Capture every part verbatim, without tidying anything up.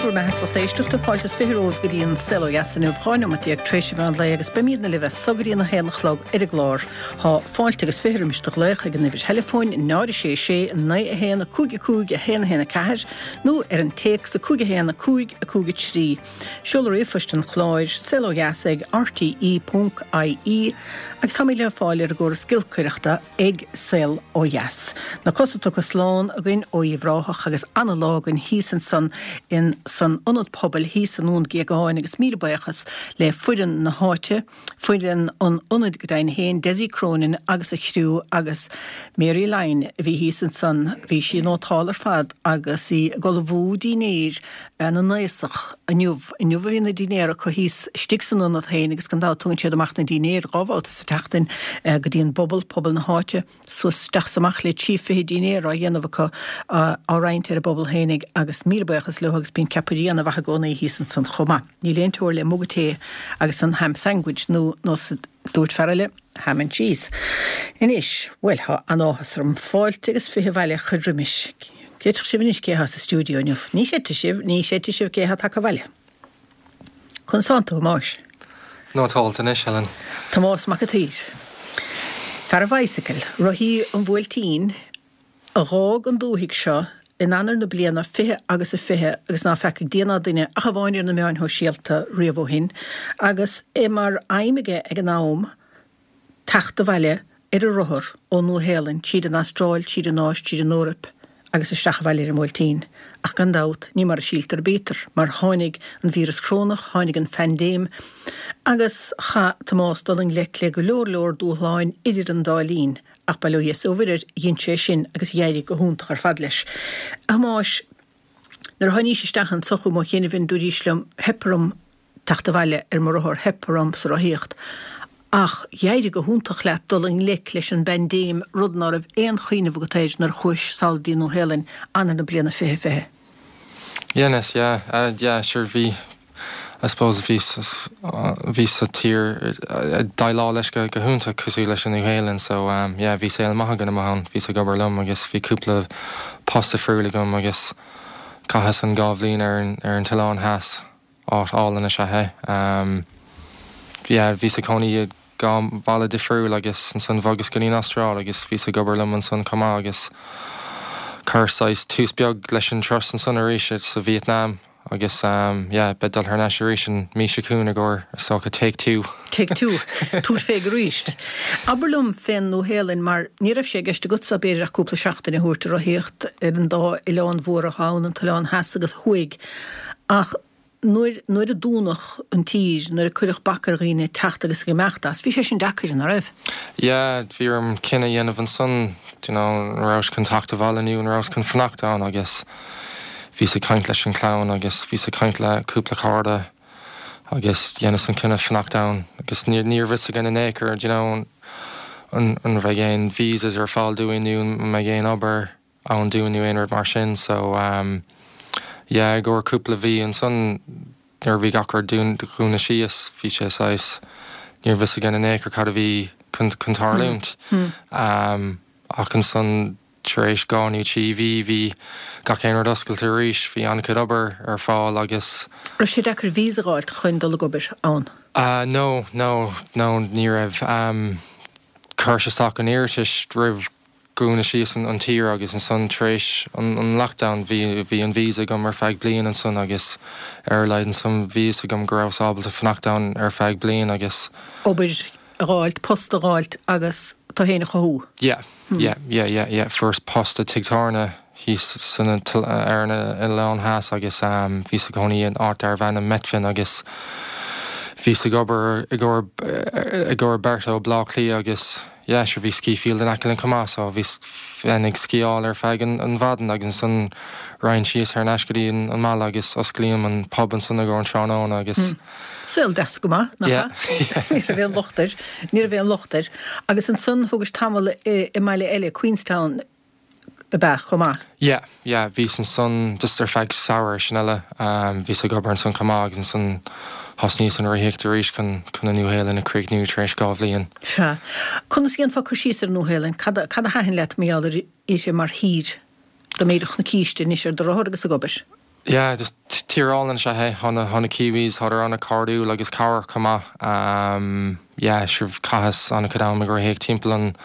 Bhur mbeatha, a lucht éisteachta, fáilte is fiche romhaibh go dtí an Saol Ó Dheas inniu, dhá neomat déag tar éis an mheán lae agus beimídne libh as so go dtí an a haon a chlog ar an gclár. Tá fáilte agus fiche roimis do ghlaoch ag an uimhir theileafóin náid a sé sé naoi a haon a cúig a cúig a haon a haon a ceathair nó ar an téacs a cúig a haon a cúig a cúig a trí. Seoladh ríomhphoist an chláir, saol ó dheas ag R T E ponc I E, agus táimid le fáil ar an gcóras giolcaireachta ag Saol Ó Dheas. Na cosa tugtha slán againn ó Uíbh Ráthach agus ana-lá againn thíos ansan in san ionad pobail thíos i nDún Géagáin agus míle buíochas le foireann na háite, foireann an ionaid go deimhin féin, Desi Cronin agus a chriú agus Mary Line a bhí thíos ansan, bhí sí nótálta ar fad agus í ag ullmhú dinnéir na n-aosach inniu. Inniu a bhí na dinnéir acu thíos istigh san ionad féin agus gan dabht tugann siad amach na dinnéir dhá bhabhta sa tseachtain go dtí an bpobal, pobal na háite, suas isteach is amach le trí fiche dinnéar á dhéanamh acu á roinnt ar an bpobal féinig agus míle buíochas leo agus bíonn ceapairí ana-mhaith i gcónaí thíos ansan chomh maith. Níl aon teora le muga tae agus an ham sandwich nó nó dúirt fear eile ham and cheese. Anois, bhuel, tá an-áthas orm fáilte agus fiche abhaile a chur roimis. Creideann sibh anois cé atá sa stiúideo inniu. Ní chreidfidh sibh, ní chreidfidh sibh cé atá tagtha abhaile. Conas tánn tú, a Thomáis. Nótálta anois, Helen. Tomás Mac an tSaoir. Fear an bhicycle, rothaí an bhuailtín, a dh'fhág an dúthaigh seo in Eanáir na bliana fiche agus a fiche agus ná feacaigh Dia ná duine ach amháin ar na meáin shóisialta riamh ó shin, agus é mar aidhm aige ag an am teacht abhaile ar a rothar ón Nua-Shéalainn, tríd an Astráil, tríd an Áis, tríd an Eoraip agus isteach abhaile ar an mBuailtín. Ach gan dabht, ní mar a síltear a bítear, mar tháinig an víreas corónach, tháinig an phaindéim, agus chaith Tomás dul i ngleic le go leor leor dúshláin idir an dá linn, ach bail ó Dhia is ó Mhuire air, dhein sé sin agus d'éirigh go hiontach ar fad leis. A Thomáis, nuair a tháinís isteach anso chugam ó chianaibh, dúraís liom, theip orm teacht abhaile ar mo rothar, theip orm sa rothaíocht. Ach d'éirigh go hiontach leat dul i ngleic leis an bpaindéim, rud ná raibh aon chuimhneamh agat air nuair a chuais sall dtí Nua-Shéalainn Eanáir na bliana fiche fiche. Yes, yeah, uh, yeah, sure bhí I suppose bhí bhí sa tír déileáil leis go go hiontach cosúil leis an Nua-Shéalainn, so um, yeah, bhí saol maith agam ann, bhí ag obair liom agus bhí cúpla post difriúil agam agus chaitheas an dhá bhliain ar an ar an tOileán Theas, áit álainn is ea é. Um, yeah, bhí sa cónaí dhá bhaile difriúil agus ansan bhogas go dtí an Astráil agus bhí ag obair liom ansan chomh maith agus chuir saghas tús beag leis an turas ansan arís sa Vietnam agus um, yeah, beidh dul thar n-ais arís an mí seo chugainn i gcomhair so take two. Take two, túr féig arís. Abair liom fén Nua-Shéalainn mar ní raibh sé i gceist agatsa b'fhéidir ach cúpla seachtain a thabhairt ar rothaíocht ar an dá oileán mhóra ann, an tOileán Theas agus Thuaidh. Ach nuair nuair a dúnadh an tír, nuair a cuireadh bac ar dhaoine teacht agus ag imeacht as, bhí sé sin deacair, an raibh? Yeah, bhí orm cinneadh a dhéanamh ansan, you know, an rabhas chun teacht abhaile nó an rabhas chun fanacht ann agus bhí ag caint leis an chlann agus bhí ag caint le cúpla cara agus dheineas an cinneadh fanacht ann agus ní níor bhris gan an écur you know, an an bheidh aon visas ar fáil dúinn nó an mbeidh aon obair ann dúinn nó aon rud mar sin so um, yeah, gur cúpla mhí ansan nuair bhí gach rud dúnta síos bhí sé saghas níor bhris gan an écur cad a bhí chun chun tarlúint. Hmm. Um, ach ansan tar éis dhá nó trí mhí bhí gach aon rud oscailte arís bhí an-chuid obair ar fáil agus Raibh sé deacair visa a fháilt chun dul ag obair ann. Uh, no, no, no ní raibh um, chuir isteach an iarratas roimh dúnadh síos an, an tír agus ansan tar éis an, an lockdown bhí bhí an visa agam ar feadh bliain ansan agus ar leid ansan bhí agam go raibh ábalta fanacht ann ar feadh bliain agus Obair a fháilt, post a fháilt agus tú féin a chothú. yeah, hmm. yeah, yeah, yeah, yeah. Fuaireas post i tigh tábhairne thíos san ar an Oileán Theas agus um, bhí sa gcónaí in áit darbh ainm Methven agus bhí ag obair i gcomhair i gcomhair beirt ó Bleá Cliath agus yeah, sure bhí ski field in aice linn chomh maith so bhí ag sciáil ar feadh an, an mhaidin agus ansan raghainn síos thar n-ais go dtí an, an mbaile agus osclaím an pub ansan i gcomhair an tráthnóna agus mm. Saol deas go maith nach Yeah. Ní raibh aon locht air, ní raibh aon locht air. Agus ansan thugais tamall i, i mbaile eile Queenstown ab ea chomh maith. Yeah, yeah, bhí ansan just ar feadh samhradh sin eile um, bhí ag obair ansan chomh maith agus ansan thosnaíos an rothaíocht arís chun chun an Nua-Shéalainn a chríochnú tar éis dhá bhliain. Sea. Conas dhéanfá cur síos ar Nua-Shéalainn, cad a cad a thaitin leat mar gheall uirthi mar thír dá mb'fhéidir na císte anois ar do rothar agus ag obair. Yeah, just Tír álainn is ea é. Tá na, tá na Kiwis, tádar an-chairdiúil agus cabhrach chomh maith. Um, yeah, sure chaitheas an-chuid am ag rothaíocht timpeall an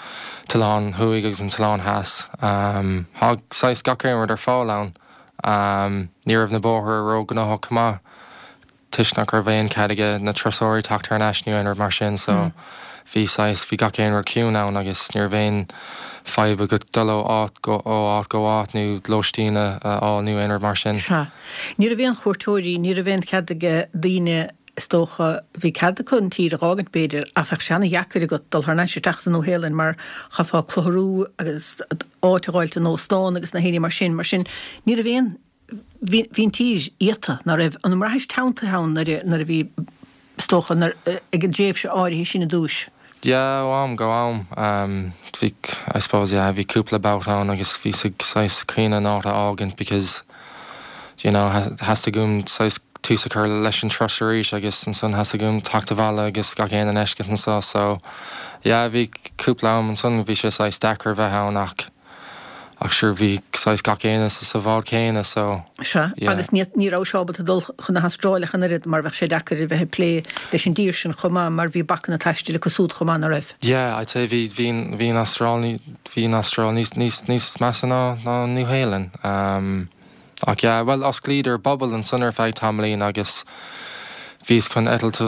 t-oileán thuaidh agus an t-oileán theas. Um, Thá saghas gach aon rud ar fáil ann. Um, ní raibh na bóithre ró-ghnóthach chomh maith toisc nach raibh aon cead ag na turasóirí teacht thar n-ais nó aon rud mar sin, so mm. bhí saghas bhí gach aon rud ciúin ann agus ní raibh aon fadhb agat dul ó áit go ó áit go áit nó lóistín a fháil nó aon rud mar sin. Sea. Ní raibh aon chuairteoirí, ní raibh aon chead ag daoine is dócha bhí cead acu an tír a dh'fhágaint b'fhéidir ach bheadh sé ana-dheacair agat dul thar n-ais isteach sa Nua-Shéalainn mar chaithfeá clárú agus áit a dh'fháilt in óstán agus na héinne mar sin, mar sin ní raibh aon bhí bhí an tír iata ná raibh an mbraithis teanntaithe ann nuair a nuair a bhí is dócha nuair ag an dtréimhse áirithe sin i dtús. Yeah, ó am go am. Um, bhí I suppose yeah, bhí cúpla babhta ann agus bhí saghas caoineadh an áit a fhágaint because you know, theastaigh uaim saghas tús a chur leis an turas arís agus ansan theastaigh uaim teacht abhaile agus gach aon a fheiscint anseo so yeah, bhí cúpla am ansan bhí sé saghas deacair bheith ann ach ach sure bhí saghas gach éinne sa bhád céanna so Sea, yeah. Agus ní ní raibh sé ábalta dul chun na hAstráile ach an oiread mar bheadh sé deacair a bheith ag plé leis an dtír sin chomh maith mar bhí bacanna taistil acu súd chomh maith, ná raibh? Yeah, I'd say bhí bhí bhí an Astráil bhí an Astráil níos níos níos measa ná ná Nua-Shéalainn. Um, ach yeah, well osclaíodar bubble ansan ar feadh tamaillín agus bhíos chun eitilt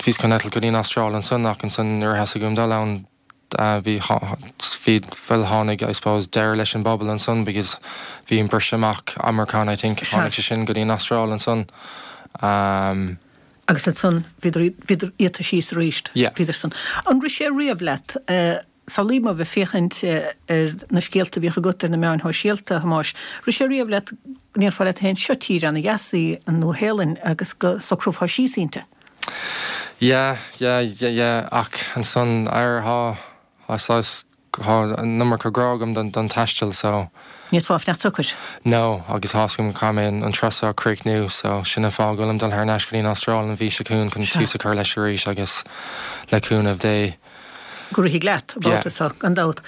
bhíos chun eitilt go dtí an Astráil ansan ach ansan nuair a theastaigh uaim dul ann bhí bhí bhuel tháinig I suppose deireadh leis an bubble ansan because bhí an briseadh amach Omicron I think tháinig sé sin go dtí an Astráil ansan. Um, Agus ansan bhíodar bhíodar iata síos arís. Yeah. Bhíodar san. An rith sé riamh leat uh, Samhlaím a bheith féachaint ar na scéalta a bhíodh agat ar na meáin shóisialta, a Thomáis. Rith sé riamh leat go ndéarfá leat féin seo tír ana-dheas í an Nua-Shéalainn agus go socrófá síos inti? Yeah, yeah, yeah, yeah, ach ansan ar thá thá saghas thá an iomarca grá agam don don taisteal so. Ní fhéadfá fanacht socair? No, agus tá's agam caithfidh mé an turas seo a chríochnú so sin an fáth go bhfuilim dul thar n-ais go dtí an Astráil an mhí seo chugainn chun tús a chur leis arís agus le cúnamh Dé. Go rithfidh leat, an babhta seo, gan dabht.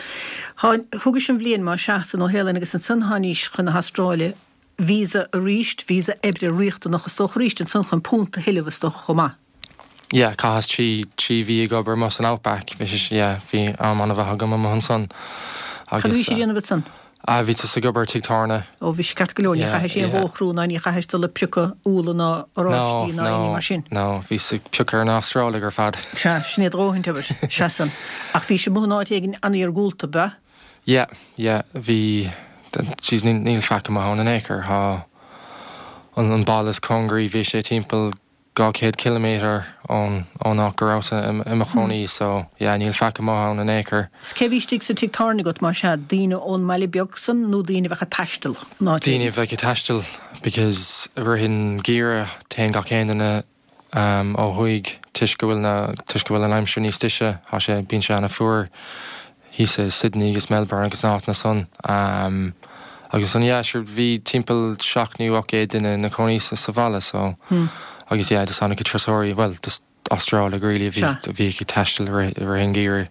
Thugais an bhliain mar sea sa Nua-Shéalainn agus ansan thánaís chun na hAstráile, visa arís, visa oibre riachtanach is dócha arís ansan chun punt a thuilleamh is dócha chomh maith. Yeah, chaitheas trí trí mhí ag obair amuigh san Outback, bhí sé, yeah, bhí am an-mhaith agam amuigh ansan Cad a bhí sé a dhéanamh ansan? Ah, bhí tusa ag obair tigh tábhairne. Ó, bhí sé ceart go leor, ní chaithis aon bhóchar ná ní chaithis dul ag piocadh úlla ná oráistí ná aon ní mar sin. No, no, bhíos ag piocadh ar na hAstrálaigh ar fad. Sea, sin é do dhóthain obair, sea san. Ach bhís amuigh in áit éigin an-iargúlta, ab ea? Yeah, yeah, bhí, jeez, níl faic amuigh ann in aon chor, thá an an baile is cóngaraí, bhí sé timpeall dhá chéad ciliméadar ón ón áit go rabhas i mo chónaí so yeah níl faic amuigh ann in aon chor. 'S cé bhí istigh sa tigh tábhairne agat más ea, daoine ón mbaile beag san nó daoine a bheadh ag taisteal ón áit Daoine a bheadh ag taisteal because i rith an gheimhridh téann gach aon duine um ó thuaidh toisc go bhfuil na toisc go bhfuil an aimsir níos deise, thá sé bíonn sé ana fuar thíos i Sydney agus Melbourne agus na háiteanna san. Um agus ansan yeah sure bhí timpeall seacht nó ocht gcéad duine ina cónaí sa sa bhaile so agus yeah just an-chuid turasóirí bhuel just Astrálaigh really a bhí a bhí ag taisteal i rith i rith an gheimhridh.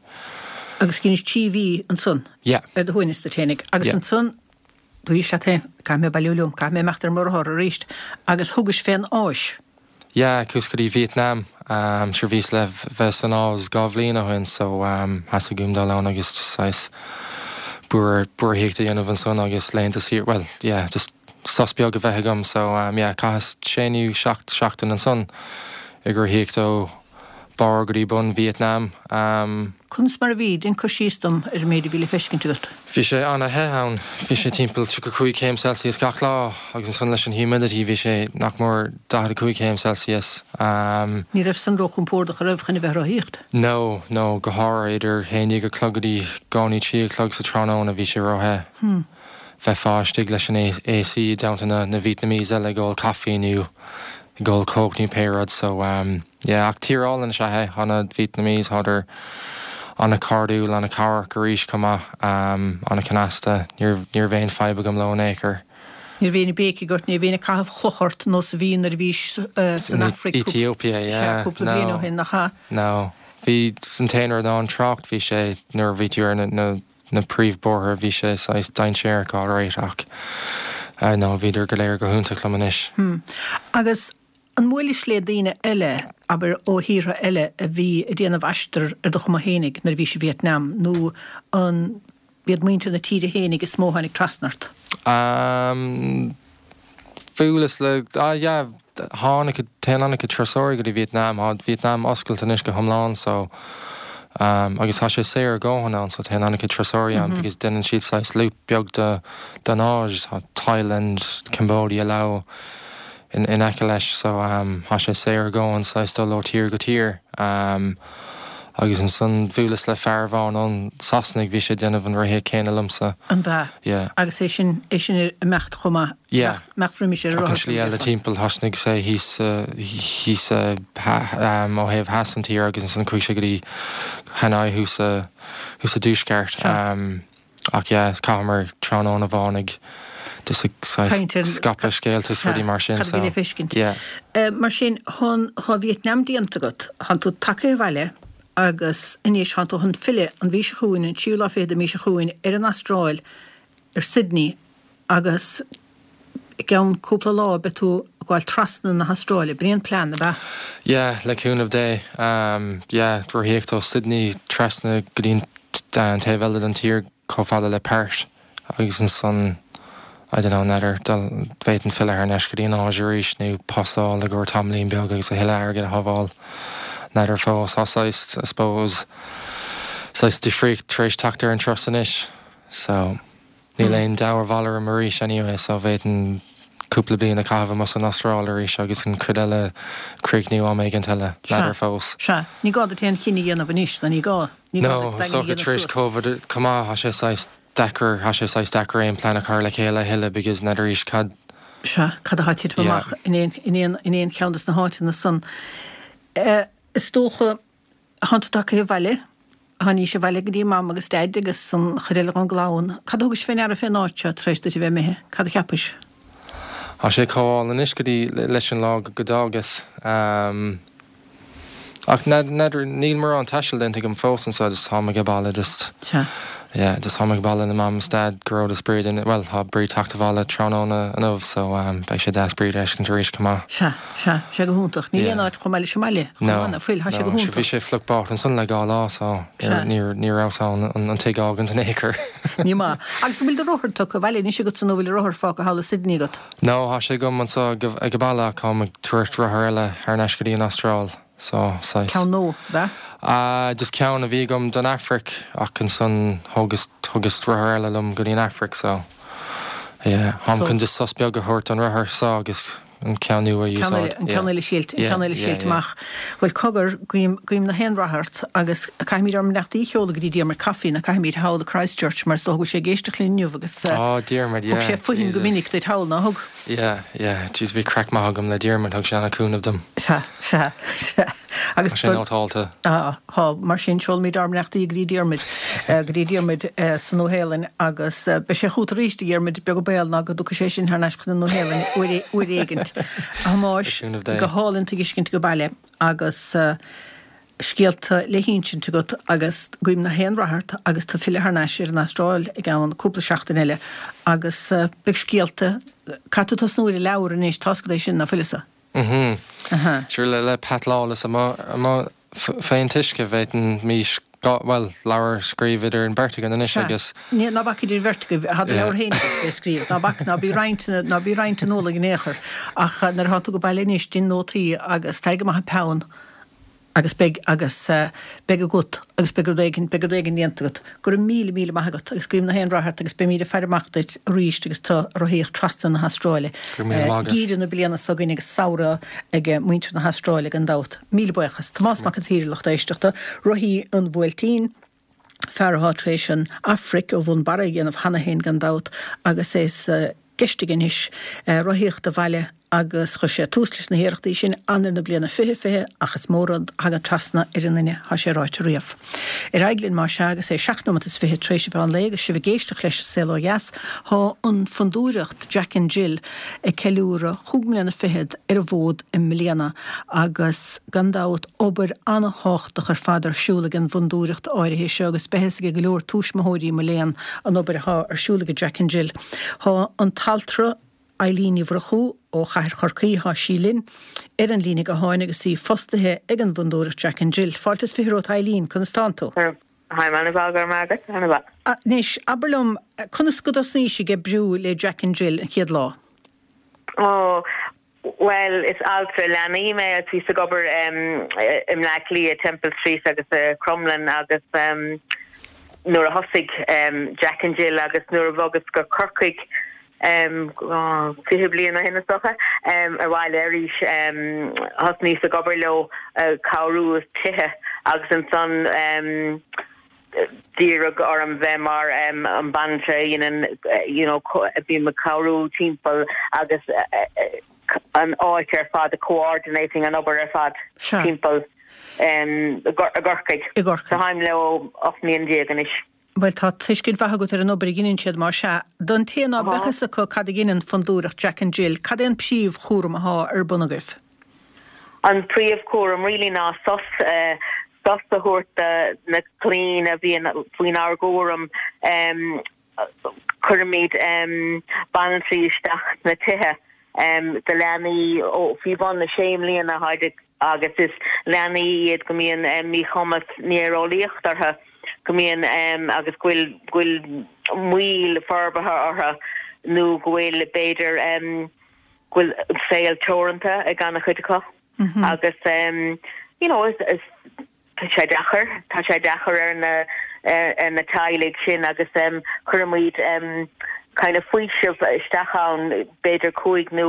Agus dheinis trí mhí ansan Yeah. ar do shuaimhneas duit fhéinig agus Yeah. ansan dúirt leat féin caithfidh mé bailiú liom, caithfidh mé imeacht ar mo rothar arís agus thugais fén Áis. Yeah, chuas go dtí Vietnam. Um, sure bhíos le bheith san Áis dhá bhliain ó shin so um, theastaigh uaim dul ann agus just saghas búrthaíocht a dhéanamh ansan agus laethanta saoire, well, yeah, just sos beag a bheith agam so um, yeah, chaitheas sé nó seacht seachtain ansan ag rothaíocht ó barr go dtí bun Vietnam. Um, Conas mar a bhí? Déan cur síos dom ar an méid a bhí le feiscint agat. Bhí sé ana-the ann. Bhí sé timpeall tríocha cúig céim Celsius gach lá agus ansan leis an humidity bhí sé nach mór daichead a cúig céim Celsius. Um, Ní raibh san róchompordach an raibh chun a bheith ag rothaíocht? No, no, go háirithe idir haon déag a chlog go dtí dhá nó trí a chlog sa tráthnóna bhí sé róthe. Hmm. Bheifeá istigh leis an A C i dteannta na na Vietnamese eile ag ól caife nó ag ól Coke nó pé rud so um, yeah, ach tír álainn is ea é, thá na Vietnamese thádar ana-chairdiúil, ana-chabhrach arís chomh maith, um, ana-chnasta, ní ní raibh aon fadhb agam leo in aon chor. Ní raibh aon béicigh ort, ní raibh aon ag caitheamh cloch ort nós a bhí nuair a bhís uh, san Afraic Ethiopia, yeah. cúpla bliain ó shin, nach ea? No. Bhí an t-aon rud ná an trácht bhí sé nuair a bhí tú ar na, na, na príomhbóithre bhí sé saghas dainséarach alright ach uh, no, bhíodar go léir go hiontach liom anois. Hmm. Agus an mbuailis le daoine eile, abair ó thíortha eile a bhí ag déanamh aistear ar do chuma fhéinig nuair a bhís i Vietnam, nó an b'iad muintir na tíre fhéinig is mó a tháinig trasna ort? Um, Bhuaileas le ah, yeah, tháinig téann an-chuid turasóirí go dtí Vietnam, tá Vietnam oscailte anois go hiomlán so um, agus tá sé saor a dhóthain ann so téann an-chuid turasóirí ann mm -hmm. because déanann siad saghas loop beag de den Áis, tá Thailand, Cambodia, Laos in, in aice leis so um, tá sé saor a dhóthain saghas dul ó tír go tír. Um, agus ansan bhuaileas le fear amháin ón Sasanaigh bhí sé ag déanamh an rothaíocht céanna liomsa. An b'ea? Yeah. Agus é sin é sin ag imeacht chomh maith Yeah. imeacht roimis ar Ach an slí eile timpeall thosnaigh sé thíos thíos um, ó thaobh theas an tír agus ansan chuaigh sé go dtí Hanoi thuas thuas sa dtuaisceart. Um, ach yeah, chaitheamar tráthnóna amháin ag just ag Caint ar- scaipeadh scéalta is rudaí mar sin. Cad a bhí le feiscint. Yeah. Uh, mar sin thá thá Vietnam déanta agat, thánn tú tagtha abhaile agus anois thánn tú chun filleadh an mhí seo chugainn an tríú lá fichead den mhí seo chugainn ar an Astráil ar Sydney agus i gceann cúpla lá beidh tú ag gabháil trasna na hAstráile, b'in é an plean ab ea? Yeah, le cúnamh Dé. Um, yeah, rothaíocht ó Sydney trasna go dtí an taobh eile den tír chomh fada le Perth agus ansan I don't know, n'fheadar b'fhéidir filleadh thar n-ais go dtí an Áis arís nó pasáil i gcomhair tamaillín beag agus a thuilleadh airgid a shábháil. N'fheadar fós tá saghas, I suppose, saghas difríocht tar éis teacht ar an turas anois. So níl aon deabhar orm arís anyway, so b'fhéidir cúpla bliain a chaitheamh amuigh san Astráil arís agus an chuid eile críochnú am éigin eile n'fheadar fós. Sea, ní gá duit aon chinneadh a dhéanamh anois, nó ní gá. Ní gá No, duit daingean so a dhéanamh tar éis suas. COVID chomh maith tá sé saghas deacair tá sé saghas deacair aon plean a chur le chéile a thuilleadh because n'fheadar arís cad Sea, cad atá ag titim Yeah. amach in aon in aon in aon cheann des na háiteanna san. Uh, is dócha thánn tú tagtha abhaile, tháinís abhaile go dtí mam agus daid agus an chuid eile den gclann. Cad a thugais fé ndeara fén áit seo tar éis duit a bheith imithe? Cad a cheapais? Tá sé chomh hálainn anois go dtí leis an lá go d'fhágas. Um, ach n'fheadar níl mórán taistil déanta agam fós anseo just táim ag baile just Sea. yeah, just táim ag baile na mam is dad go raibh Bríd in well tá Bríd ag teacht abhaile tráthnóna inniu so um, beidh sé deas Bríd a fheiscint arís chomh maith. Sea, sea, sé go hiontach. Níl Yeah. aon áit chomh maith leis an mbaile. No, Chomh fuil, tá sé go no, bhí hiontach. sé fliuch bocht ansan le dhá lá so Sea. ní ní raibh an an tigh a fhágaint in aon chor. Ní maith. Agus bhfuil do rothar tugtha abhaile anois agat nó bhfuil rothar fágtha thall i Sydney agat. No, tá sé agam anseo ag an baile táim ag tabhairt rothar eile thar n-ais go dtí an Astráil. So saghas. Ceann nua, b'ea? Uh, just ceann a bhí agam don Afraic ach ansan thugas thugas rothar eile liom go dtí an Afraic so yeah, táim So- chun just sos beag a thabhairt an rothar so agus an ceann nua a Ceann úsáid. an ceann eile silt, an ceann eile silt amach. Well cogar guím guím na haon rath ort agus caithfimid ár mbeannachtaí a sheoladh go dtí Diarmuid Coffey na caithfimid thall i Christchurch mar is dócha go bhfuil sé ag éisteacht linn inniu agus uh, Oh, Diarmuid, thug yeah. sé fúinn go Jesus. minic duit thall ná thug. Yeah, yeah, jeez, bhí craic maith agam le Diarmuid thug sé an-chúnamh dom. Sea, sea, sea. Agus Tá sé nótálta. Ah, Tá mar sin seolaimid ár mbeannachtaí go dtí Diarmuid eh, go dtí Diarmuid eh, sa Nua-Shéalainn agus eh, beidh sé chugat arís a Dhiarmuid beag an baol ná go dtiocfaidh sé sin thar n-ais chun na Nua-Shéalainne uair uair éigint. A Thomáis Cúnamh Dé. go hálainn tuiscint go baile agus uh, scéalta le hinsint agat agus guím na haon rath ort agus tú ag filleadh thar n-ais ar an Astráil i gceann cúpla seachtain eile agus uh, beidh scéalta cad tú tosnú ar leabhar anois tá é sin na fuilsa. Mhm. Aha. Sure le le Pat Lawless amuigh fén uisce b'fhéidir mí well leabhar scríobh idir an bheirt againn anois agus Ní ná bac idir bheirt agaibh tá Yeah. leabhar féin le scríobh ná bac ná bí roinnt ná bí roinnt an eolais in aon chor ach eh, nuair atá tú go baile anois déan nótaí agus tar go maith an peann agus beidh agus uh, beidh agat agus beidh rud éigin beidh rud éigin déanta agat go raibh míle míle maith agat agus guím na haon rath ort agus beimid ag faire amach duit arís agus tú ag rothaíocht trasna na hAstráile. Go raibh míle maith agat. Geimhreadh na bliana seo chugainn agus samhradh ag muintir na hAstráile gan dabht. Míle buíochas Tomás Mac an tSaoir lucht éisteachta rothaí an Bhuailtín, fear atá tar éis an Afraic ó bhun barra a dhéanamh cheana féin gan dabht agus é uh, gceist anois uh, rothaíocht abhaile agus chuir sé tús leis na hiarrachtaí sin Eanáir na bliana fiche fiche ach is mór rud a thagann trasna ar an duine tá sé ráite riamh. Ar aghaidh linn mar sin agus é seacht nóiméad is fiche tar éis an lae agus sibh ag éisteacht leis Saol Ó Dheas tá an fondúireacht Jack and Jill ag ceiliúradh cúig mbliana fichead ar an bhfód i mbliana agus gan dabht obair an-thábhachtach ar fad ar siúl ag an bhfondúireacht áirithe seo agus beidh a fhios ag go leor tuismitheoirí mo léan an obair atá ar siúl ag Jack and Jill. Tá an t-altra Eileen Ní Mhurchú ó Chathair Chorcaí tá sí linn ar an líne gutháin agus í fostaithe ag an bhFondúireacht Jack and Jill. Fáilte is fiche romhat Eileen, conas tánn tú? Hi man go raibh maith agat Anois abair liom conas go dtosnaís ag oibriú le Jack and Jill an chéad lá? Oh well is altra leanaí mé a bhí ag obair um, i mBleá Cliath Temple Street agus uh, Crumlin agus um, nuair a thosaigh um, Jack and Jill agus nuair a bhogas go Corcaigh um, oh, fiche bliain ó shin is dócha um, ar bhaile arís um, thosnaíos ag obair leo uh, cabhrú tithe agus ansan um, d'iarr orm bheith mar um, an banaltra you know, bhí ag cabhrú timpeall agus uh, uh, an áit ar fad coordinating an obair ar fad timpeall um, i gCorcaigh. I gCorcaigh. Táim leo ocht mbliana déag anois. Well tá tuiscint mhaith agat ar an obair a dhéanann siad mar sea, don té ná beadh fhios acu cad a dhéanann Fondúireacht Jack and Jill, cad é an príomhchúram atá ar bun agaibh? An príomhchúram really ná sos uh, sos a thabhairt na clainne a bhíonn faoinár gcúram um, cuirimid um, banaltraí isteach na tithe um, de leanaí ó faoi bhun na sé mbliana agus is leanaí iad go mbíonn um, míchumas néareolaíocht orthu go mbíonn um, agus go bhfuil go bhfuil moill forbartha orthu nó go bhfuil b'fhéidir um, go bhfuil saol teoranta ag an-chuid acu mm -hmm. agus um, you know, is, is tá sé deacair tá sé deacair ar na ar na teaghlaigh sin agus um, cuirimid um, kind of faoiseamh isteach ann b'fhéidir cúig nó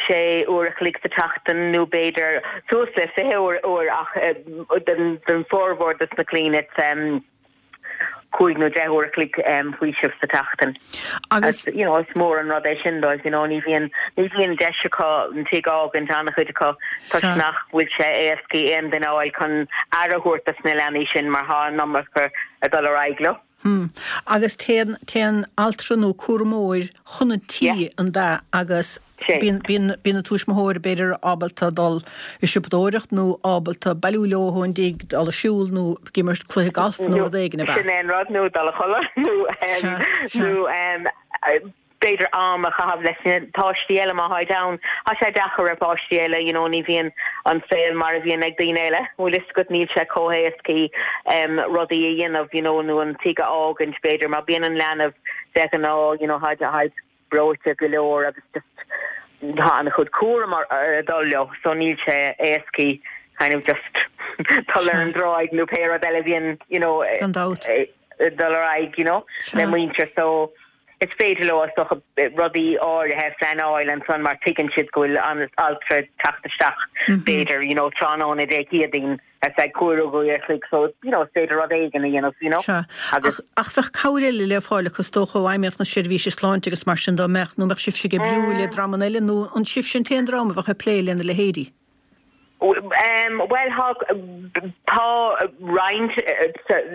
sé uair a chloig sa tseachtain nó b'fhéidir suas le fiche uair uair ach uh, den den formhór des na clainne um, cúig nó deich uair a chloig um, faoiseamh sa tseachtain. Agus you know, is mór an rud é sin dóibh you know, ní bhíonn ní bhíonn deis acu an tigh a fhágaint an-chuid acu toisc nach bhfuil sé éasca aon duine a fháil chun aire a thabhairt dos na leanaí sin mar tá an iomarca ag dul ar aghaidh leo. Hmm. Agus téann téann altra nó cúramóir chun an tí Yeah. an bea agus Sé. bíonn bíonn bíonn na tuismitheoirí b'fhéidir ábalta dul ag siopadóireacht nó ábalta bailiú leo ón dtig dul ag siúl nó ag imirt cluiche golf nó rud éigin ab ea. Sin é an rud nó dul a chodladh nó um, Sea, sea. nó um, b'fhéidir am a chaitheamh leis na páistí eile má tháid ann. Tá sé deacair ar pháistí eile, you know, ní bhíonn an saol mar a bhíonn ag daoine eile. Bhfuil fhios agat níl sé chomh héasca um, rudaí a dhéanamh, you know, nó an tigh a fhágaint b'fhéidir mar bíonn an leanbh de ghnáth, you know, tháid tháid breoite go leor agus just tá an-chuid cúram ar ar dul leo, so níl sé éasca kind of just dul ar an dtráigh nó pé rud eile bhíonn, you know, Gan dabht. eh, dul ar aghaidh, you know, Sea. le muintir so is féidir leo is dócha rudaí áirithe pleanáil ansan mar tuigeann siad go bhfuil an altra teacht isteach b'fhéidir you know, tráthnóna Dé Céadaoin ar feadh cúig uair a chloig so you know, is féidir rud éigin a dhéanamh you know. Sea. Agus Ach, ach bheadh cabhair eile le fáil acu is dócha ó fheidhmeannacht na seirbhíse sláinte agus mar sin dá mbeadh nó mbeadh sibhse ag oibriú le dreamanna eile nó an sibhse an t-aon dream a bheadh ag plé lena leithéidí. Um, well tá tá roinnt eh,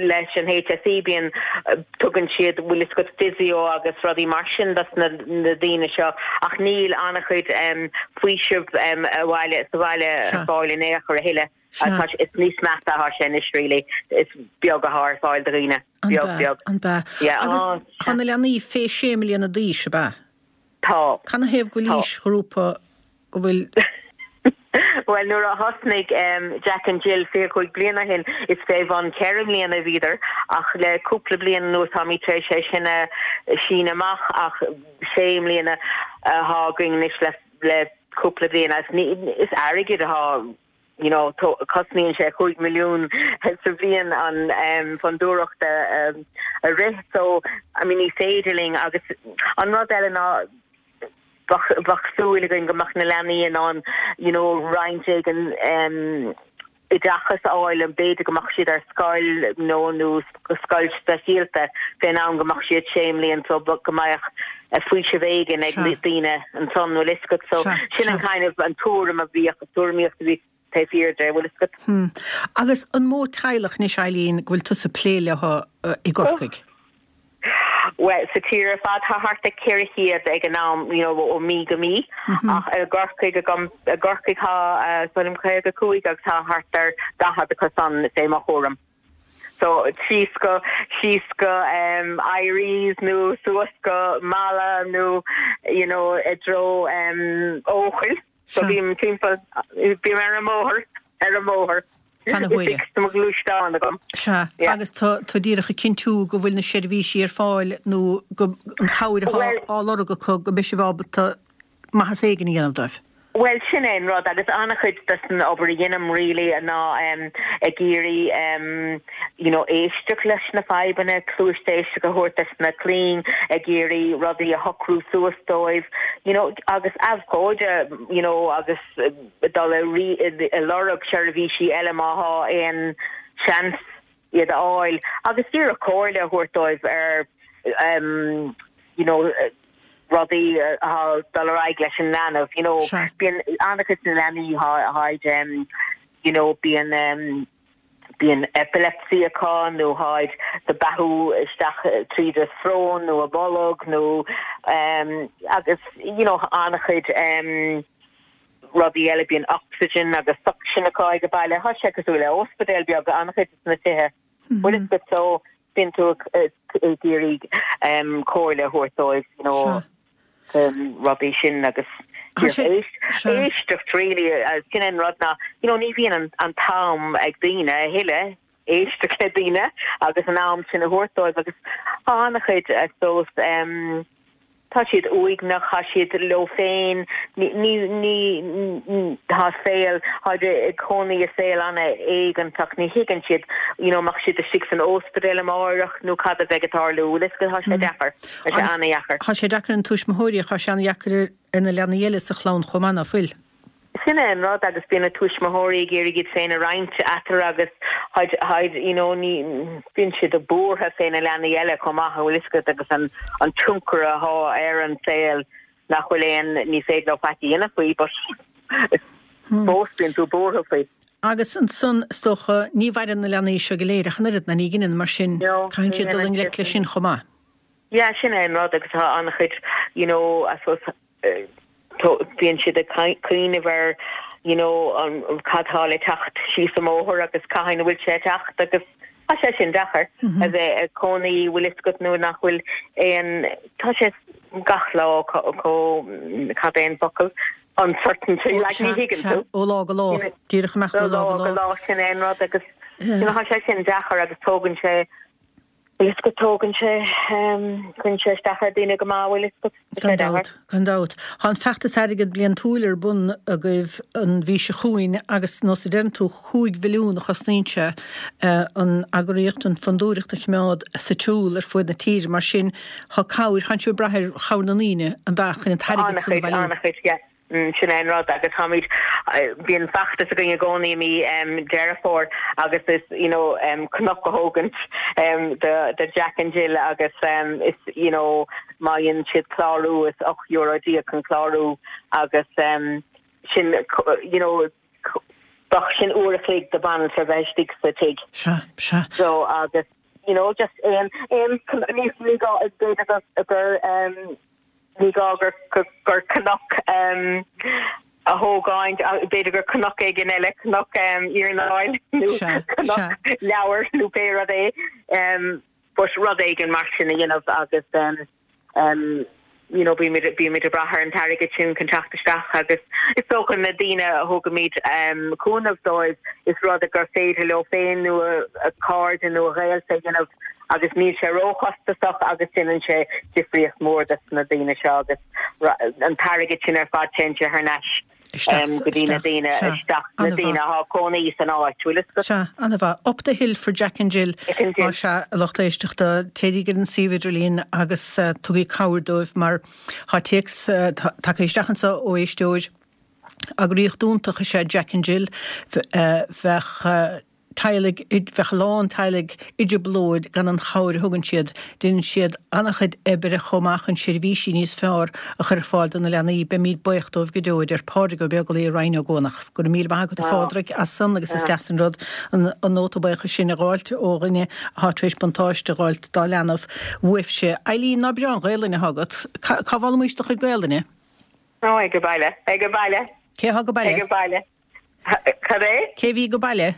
leis an HSE bíonn eh, tugann siad bhfuil fhios agat physio agus rudaí mar sin dos na, na daoine seo ach níl an-chuid um, faoiseamh um, abhaile sa bhaile Sea. ar fáil in aon chor a thuilleadh. Sea. Tá is níos measa atá sé anois really is beag atá ar fáil do dhaoine An beag bea, beag. an bea. Yeah, Agus oh, tá na leanaí fé sé mbliana d'aois ab ea. Tá. Canathaobh go bhfuil Tá. aoisghrúpa go bhfuil Well nuair a thosnaigh um, Jack and Jill fiche cúig bliana ó shin is fé bhun ceithre bliana bhíodar ach le cúpla bliain nó tá sé sé sin a síneadh amach ach sé bliana atá againn anois le le cúpla bliain as ní is airgead atá you know cosnaíonn sé cúig milliún sa bhliain an um, fondúireacht um, a rith so I mean ní féidir linn agus an rud eile ná bheadh súil againn go mbeadh na leanaí in ann you know roinnt éigin um, oideachas a fháil an b'fhéidir go mbeadh siad ar scoil nó nó scoil speisialta fén am go mbeadh siad sé bliana so go mbeadh faoiseamh éigin ag Sea. daoine ansan bhfuil fhios agat so Sea, sin an sea. kind of an tuairim a bhíodh tuairimíocht a bhí taobh thiar de bhfuil fhios agat. Hmm. Agus an mó teaghlach anois Eileen go bhfuil tusa ag plé leo uh, i gCorcaigh. Well sa tír ar fad tá thart ar ceithre chéad ag an am you know, ó mí go mí ach i gCorcaigh agam i gCorcaigh tá uh, caoga cúig agus tá thart ar daichead acu san fé mo chúram. So síos go síos go um, Eyeries nó suas go Mala nó you know, i dtreo um, Eochaill. So bím timpeall bím ar an mbóthar ar an mbóthar. Fan na huaire. Tá mo ghluaisteán agam. Sea, agus tá tú díreach ag cinntiú go bhfuil na seirbhísí ar fáil nó go an chabhair atá á lorg acu go mbeidh sibh ábalta maitheas éigin a dhéanamh dóibh. Bhuel sin é an rud agus an-chuid des an obair a dhéanaim really ná um, ag iarraidh um, you know, éisteacht leis na fadhbanna, cluas éisteachta a thabhairt des na clainn, ag iarraidh rudaí a shocrú suas dóibh, you know, agus abhcóide you know, agus uh, dul ag lorg seirbhísí eile má thá aon seans iad a fháil agus díreach comhairle a thabhairt dóibh ar um, you know, rudaí atá dul ar aghaidh leis an leanbh you know bíonn an-chuid na leanaí tháid um, you know bíonn um, bíonn epilepsy acu nó tháid ag beathú isteach tríd a srón nó a bolg nó um, agus you know an-chuid um, rudaí eile bíonn oxygen agus suction acu ag baile thá sé cosúil le ospidéal beag an-chuid na tithe. Mm -hmm. Well, so bíonn tú ag iarraidh um, comhairle a thabhairt dóibh you know, um, rudaí sin agus éisteacht really uh, sin an rud ná you know, ní bhíonn an, an t-am ag daoine a thuilleadh éisteacht le daoine agus an am sin a thabhairt dóibh agus an-chuid dós um, tá siad uaigneach tá siad leo féin ní ní tá saol ag cónaí i saol an-éiginnteach ní thuigeann siad you know mbeidh siad istigh san ospidéal amárach nó cad a bheidh ag tarlú le tá sé deacair sé an-deacair. Tá sé deacair an tuismitheoirí tá sé an-deacair ar na leanaí eile sa chlann chomh maith nach bhfuil. Sin é an rud agus bíonn na tuismitheoirí ag iarraidh iad féin a roinnt eatarthu agus tháid you know ní bíonn siad a buartha fé na leanaí eile chomh maith bhfuil fhios agat agus an an tionchar atá ar an saol nach bhfuil aon ní féidir leo faic a dhéanamh faoi but fós bíonn tú buartha faoi. Agus ansan is dócha ní mhaireann na leanaí seo go léir ach an oiread ná ní ghineann mar sin caithfidh siad dul i ngleic leis sin chomh maith. Yeah, sin é an rud agus tá an-chuid you know I suppose uh, bíonn siad ag cuimhneamh ar you know an cad tá le teacht síos an mbóthar agus cathain a bhfuil sé ag teacht agus tá sé sin deacair mm -hmm. a bheith ag cónaí bhfuil fhios agat nó nach bhfuil aon tá sé gach lá có cad é an focal uncertainty like ní thuigeann tú ó lá go lá díreach amach ó lá go lá sin é an rud agus you know, tá sé sin deacair agus tógann sé Is go tógann sé cuireann sé isteach ar daoine go maith bhfuil fhios agat Gan dabht, gan dabht. Tá an feachtas airgead bliantúil ar bun agaibh an mhí seo chugainn agus nós a deireann tú cúig mhilliún a chosnaíonn sé an eagraíocht, an fondúireacht a choimeád sa tsiúl ar fuaid na tíre. Mar sin tá cabhair, tá sibh ag brath ar chabhair na ndaoine an b'ea chun an t-airgead san a bhailiú. An-chuid, yeah. Sin é an rud agus táimid bíonn feachtas againn i gcónaí i mí Deireadh Fómhair agus is you know cnoc a thógaint do do Jack and Jill agus is you know má dhéanann siad clárú is ocht euro déag an clárú agus sin you know bheadh sin uair a chloig do bhanaltra bheith istigh sa tigh. Sea, sea. So agus you know just aon aon ní ní gá b'fhéidir gur um, Ní gá gur gur cnoc a thógáint, b'fhéidir gur cnoc éigin eile, cnoc iarnáil nó cnoc leabhar nó pé rud é, but rud éigin mar sin a dhéanamh agus you know bímid bímid ag brath ar an t-airgead sin chun teacht isteach agus is dócha na daoine a thugaimid cúnamh dóibh is rud gur féidir leo féin nó a cairde nó a ghaolta a dhéanamh agus níl sé róchostasach agus déanann sé difríocht mhór dos na daoine seo agus an t-airgead sin ar fad téann sé thar n-ais go dtí na daoine isteach na daoine atá ag cónaí san áit bhfuil fhios agat. Sea, an-mhaith. Up the hill for Jack and Jill más ea a lucht éisteachta, téigí ar an suíomh idirlín agus tugaigí cabhair dóibh mar tá téacs tagtha isteach anseo ó éisteoir. Eagraíocht iontach is ea Jack and Jill. Bheadh teaghlaigh, bheadh a lán teaghlaigh i dtrioblóid gan an chabhair a thugann siad. Déanann siad an-chuid oibre chomh maith chun seirbhísí níos fearr a chur ar fáil do na leanaí. Beimid buíoch dóibh go deo, a deir Pádraig Ó Beaglaoich i Rinn Ó gCuanach. Go raibh míle maith agat a Phádraig as san agus is deas an rud an nóta buíochais sin a dh'fháilt ó dhuine atá tar éis buntáiste a dh'fháilt dá leanbh uaibhse. Eileen, ná breá an Ghaelainn atá agat. Cá bhfoghlaimís do chuid Gaelainne? Ó, ag baile. Ag baile. Cé atá go baile? Ag baile. Cad é? Cé bhí go baile?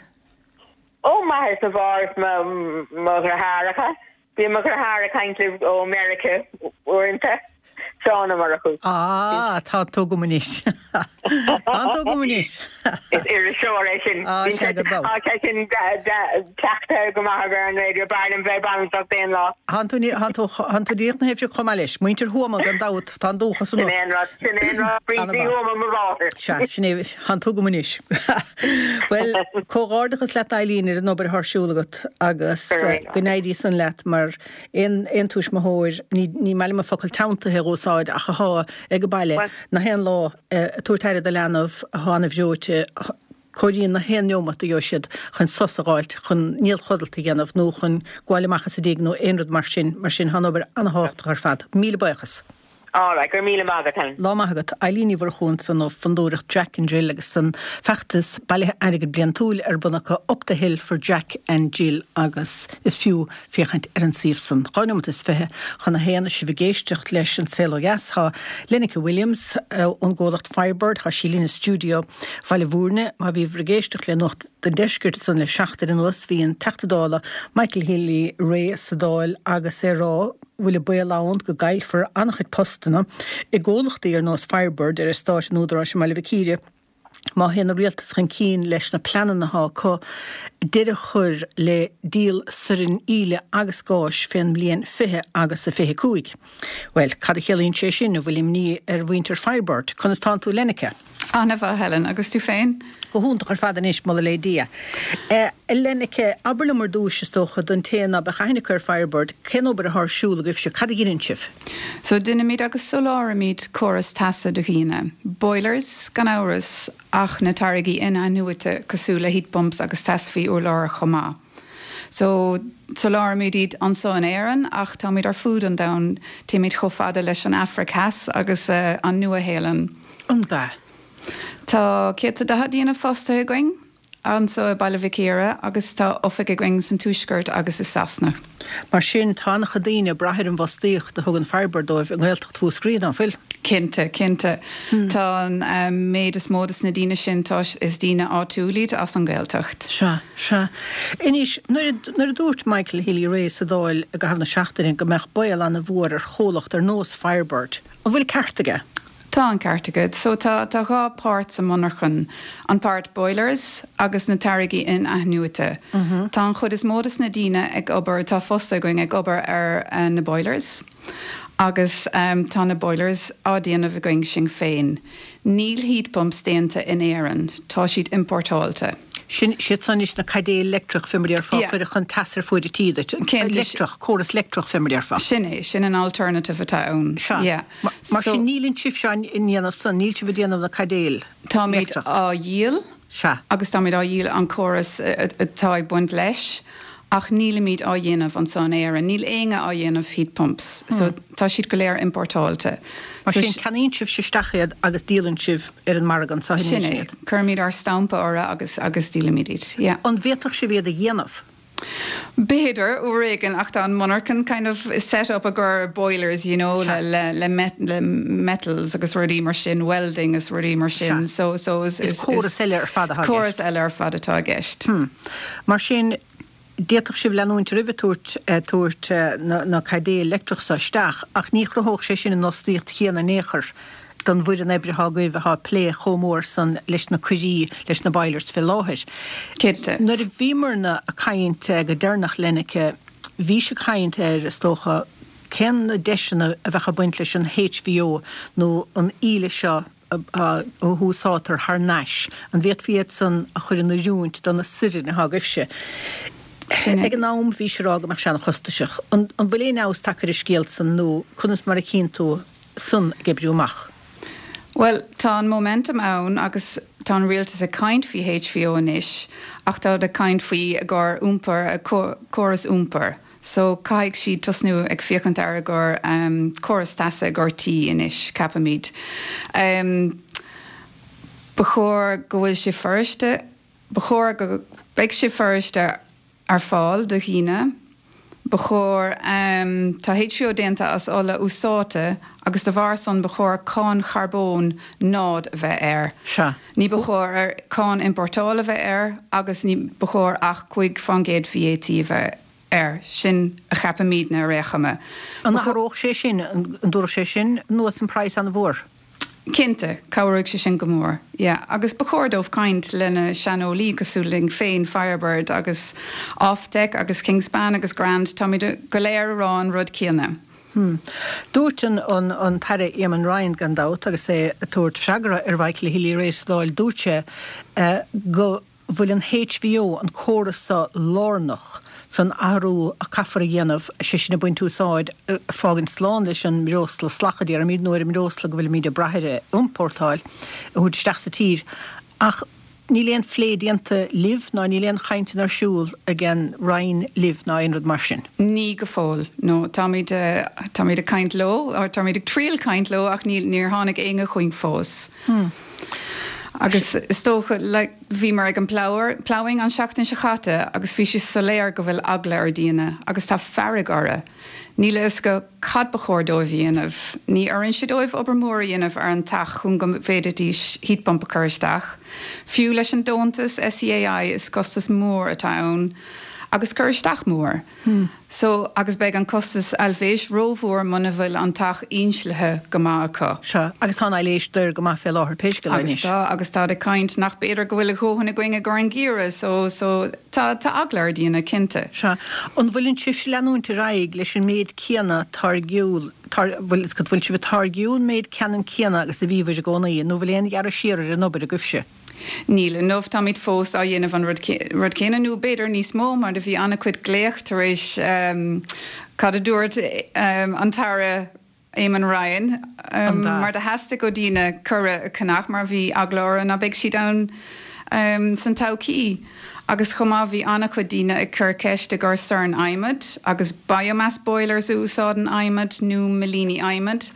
Ó, m'athair is mo mháthair is mo dheartháireacha. Bíonn mo dheartháir ag caint libh ó Meiriceá uaireanta. Seán Ó Murchú. Ah, tá tú agam anois. Tá tú agam anois. Is iriseoir é sin. Ah, sé go dó. Tá sin teachta go maith ar an raidió b'fhearr liom bheith bainteach aon lá. Tá tú tá tú díreach na thaobh chomh maith leis, muintir Thuama gan dabht tá an dúchas Sin aon rud sin aon rud Bríd Ní Thuama mo mháthair. Sea, sin é tá tú agam anois. Well, comhghairdeachas leat Eileen ar an obair atá ar siúl agat agus go n-éirí san leat mar aon aon tuismitheoir ní ní maith liom an focal teanntaithe a úsáid ach atá ag baile na haon lá tabhairt aire do leanbh atá an-bhreoite cóiríonn na haon neomat a gheobhaidh siad chun sos a fháilt chun néalchodlata a dhéanamh nó chun gabháil amach as an dtigh nó aon rud mar sin mar sin tá an obair an-tábhachtach ar fad. Míle buíochas. All right, go raibh míle maith agat Helen. Lá maith agat Eileen Ní Mhurchú ansan ó Fondúireacht Jack and Jill agus an feachtas bailithe airgid bliantúil ar bun acu Up the Hill for Jack and Jill agus is fiú féachaint ar an suíomh san. Dhá nóiméad is fiche chun a haon sibh ag éisteacht leis an Saol Ó Dheas tá Lenneke Williams ón gcomhlacht Firebird tá sí linn i stiúideo Bhaile Bhúirne má bhí ag éisteacht le Nuacht an Deiscirt san le seachtain anuas bhí an Teachta Dála Michael Healy-Rae sa Dáil agus é ag rá bhfuil an baol ann go gcaillfear an-chuid postanna i gcomhlachtaí ar nós Firebird ar eastát an Údaráis i mBaile Mhic Íre. Má théann an rialtas chun cinn leis na pleananna atá acu deireadh a chur le díol soirn íle agus gáis fén mbliain fiche agus a fiche cúig. Well, cad a chiallaíonn sé sin a bhfuil imní ar mhuintir Firebird, conas tánn tú Lenneke? An-mhaith Helen agus tú féin? Go hiontach ar fad anois moladh le Dia. Uh, Lenneke, abair liom ar dtús is dócha don té ná beadh aithne acu ar Firebird, cén obair atá ar siúl agaibhse cad a dhéanann sibh? So déanaimid agus soláthraímid córas teasa do dhaoine. Boilers gan amhras ach na táirgí in-athnuaite cosúil le heat pumps agus teas faoi urlár chomh maith. So soláthraímid iad anseo in Éirinn ach táimid ar fud an domhain téimid chomh fada leis an Afraic Theas agus uh, an Nua-Shéalainn. An ba. Tá céad daichead duine fostaithe againn anseo i Baile Mhic Íre agus tá oifig againn san Tuaisceart agus i Sasana. Mar sin tá an-chuid daoine ag brath ar an bhfostaíocht a thugann Firebird dóibh i nGaeltacht Mhúscraí an bhfuil. Cinnte, cinnte. Hmm. Tá an um, méid is mó de na daoine sin tá is daoine áitiúla iad as an Ghaeltacht. Sea, sea. Anois nuair a dúirt Michael Healy-Rae sa Dáil i gcaitheamh na seachtaine go mbeadh baol an-mhór ar chomhlacht ar nós Firebird. An bhfuil ceart aige? Tá an ceart aige. So tá tá dhá páirt sa monarchan an páirt boilers agus na táirgí in-athnuaite. Mm -hmm. Tá an chuid is mó de na daoine ag obair tá fostaithe againn ag obair ar uh, na boilers. Agus um, tá na boilers á déanamh againn sinn féin. Níl heat pumps déanta in Éirinn, tá siad importáilte. Sin siad san is na caidéil leictreach fé mar a déarfá chuir chun teas ar fuaid tí leictreach córas leictreach fé mar a déarfá. Sin é sin an alternative atá ann. Yeah. Mar sin níl sibhse á ndéanamh san níl sibh ag déanamh na caidéil. Táimid á dhíol agus táimid á dhíol an córas atá ag baint leis. ach nílimid á dhéanamh anseo in Éirinn, níl éinne á dhéanamh heat pumps, hmm. so tá siad go léir importáilte. Mar sin ceannaíonn sibh isteach iad agus díolann sibh ar an margadh sa Sin é cuirimid ár stampa orthu agus agus díolaimid iad. Yeah. An bhféadfadh sibh iad a dhéanamh? B'fhéidir uair éigin ach tá an monarchan kind of set up i gcomhair boilers you know le le le, met, le metals agus rudaí mar sin welding is rudaí mar sin so so is, is, córas eile ar fad córas eile ar fad atá i gceist. Hmm. Mar sin d'fhéadfadh sibh leanúint roimh tabhairt tabhairt na, na caidéil leictreach sa isteach ach ní chruthódh sé sin an fhostaíocht chéanna in aon chor don bhfoireann oibre atá agaibh atá ag plé chomh mór san leis na coirí leis na boilers fé láthair. Cinnte. Nuair a bhíomarna ag caint go deireanach Lenneke, bhí sé caint ar is dócha cén na deiseanna a bheadh ag baint leis an HVO nó an íle seo a úsáidtear thar n-ais an bhféadfaí iad san a chur in oiriúint do na soirn atá agaibhse. Ag an am bhí sé rá go mbeadh sé an-chostasach. An bhfuil aon fheabhas tagtha ar an scéal san nó conas mar a chíonn tú san ag oibriú amach. Well, tá an momentum ann agus tá an rialtas ag caint faoi HVO anois ach tá ag caint faoi i gcomhair iompar córas iompar. So caithfidh siad tosnú ag féachaint ar i gcomhair um, córas teasa i gcomhair tí anois ceapaimid. Um, Ba chóir go bhfuil sé furasta, ba chóir go beidh sé furasta ar fáil do dhaoine. Ba chóir um, tá HVO déanta as ola úsáidte agus de bharr san ba chóir cáin charbóin náid a bheith air. Sea. Ní ba chóir ar cáin importála a bheith air agus ní ba chóir ach cúig faoin gcéad VAT a bheith air, sin a cheapaimidne ar aon chuma. An athródh sé sin, an dtabharfadh sé sin anuas an praghas an-mhór? Cinnte, cabhróidh sé sin go mór, yeah. Agus ba chóir dóibh caint lena saineolaí cosúil linn féin, Firebird agus OFTEC agus Kingspan agus Grand, táimid go léir ag rá an rud céanna. Hmm. Dúirt an an an tAire Eamon Ryan gan dabht agus é ag tabhairt freagra ar Mhichael Healy-Rae sa Dáil, dúirt sé go bhfuil an HVO, an córas seo, lárnach san athrú a caithfear a dhéanamh, sé sin ag baint úsáid, fágaint slán leis an mbreosla salach a déarfaimid, nó ar an mbreosla go bhfuilimid ag brath air a iompórtáil, a thabhairt isteach sa tír. Ach níl aon phlé déanta libh ná níl aon chainteanna ar siúl ag an Roinn libh ná aon rud mar sin? Ní go fóill, no. Táimid, táimid ag caint leo, or táimid ag triail caint leo ach níl, níor tháinig éinne chugainn fós. Hmm. Agus is dócha, like, bhíomar ag an Ploughing an seachtain seo chaite agus bhí sé soiléir go bhfuil eagla ar daoine agus tá fearg orthu. Níl a fhios acu cad ba chóir dóibh a dhéanamh. Ní oireann sé dóibh obair mhór a dhéanamh ar an teach chun go bhféadfaidís heat pump a chur isteach. Fiú leis an deontas SEAI is costas mór atá ann agus cur isteach mór. So, agus beidh an costas aibhléis rómhór muna bhfuil an teach inslithe go maith acu. Sea, agus tá an aibhléis daor go maith fé láthair, pé scéal é Agus anois. tá, agus táid ag caint nach b'fhéidir go bhfuil a dhóthain againn i gcomhair an geimhreadh, so, so tá, tá eagla ar daoine, cinnte. Sea. An bhfuileann sibhse ag leanúint ar aghaidh leis an méid céanna táirgiúil, tar, bhfuil, bhfuil sibh ag táirgiú an méid ceannann céanna agus a bhíobhair i gcónaí, nó bhfuil aon ghearradh siar ar an obair agaibhse? Níl, inniu táimid fós á dhéanamh an rud rud céanna nó b'fhéidir níos mó mar do bhí an-chuid glaoch tar éis cad a dúirt an tAire Eamon Ryan mar do theastaigh ó daoine cora a cheannach mar bhí eagla orthu ná beidh siad ann san todhchaí. Agus chomh maith bhí an-chuid daoine ag cur ceist i gcomhair sorn adhmaid agus biomass boilers a úsáideann adhmad nó millíní adhmaid.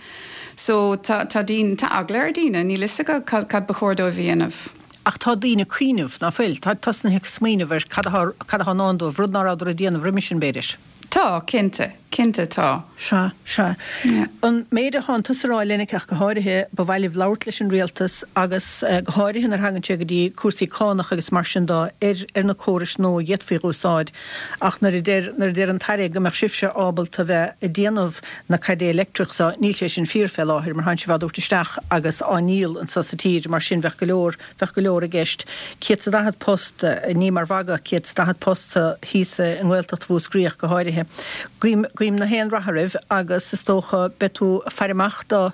So tá tá daoine, tá eagla ar daoine, níl fhios acu cad cad ba chóir dóibh a dhéanamh. Ach tá daoine ag cuimhneamh, ná fuil? Tá tosnaithe ag smaoineamh ar cad atá cad atá i ndán dóibh, rud ná rabhadar ag déanamh roimis sin, b'fhéidir. Tá, cinnte, cinnte tá. Sea, sea. An méid atánn tusa a rá, Lenneke, ach go háirithe, ba mhaith libh labhairt leis an rialtas agus go háirithe nuair a thagann sé go dtí cúrsaí cánach agus mar sin de ar ar na córais nua a d'fhéadfaí a úsáid. Ach nuair a deir nuair a deir an tAire go mbeadh sibhse ábalta bheith ag déanamh na caidé leictreach so, níl sé sin fíor fé láthair mar thánn sibh á dtabhairt isteach agus á ndíol anso sa tír, mar sin bheadh go leor, bheadh go leor i gceist. Céad 's a daichead post, ní mar mhagadh, céad 's daichead post sa, thíos i nGaeltacht Mhúscraí ach go háirithe. Guím, guím na haon rath oraibh agus is dócha beidh tú ag faire amach do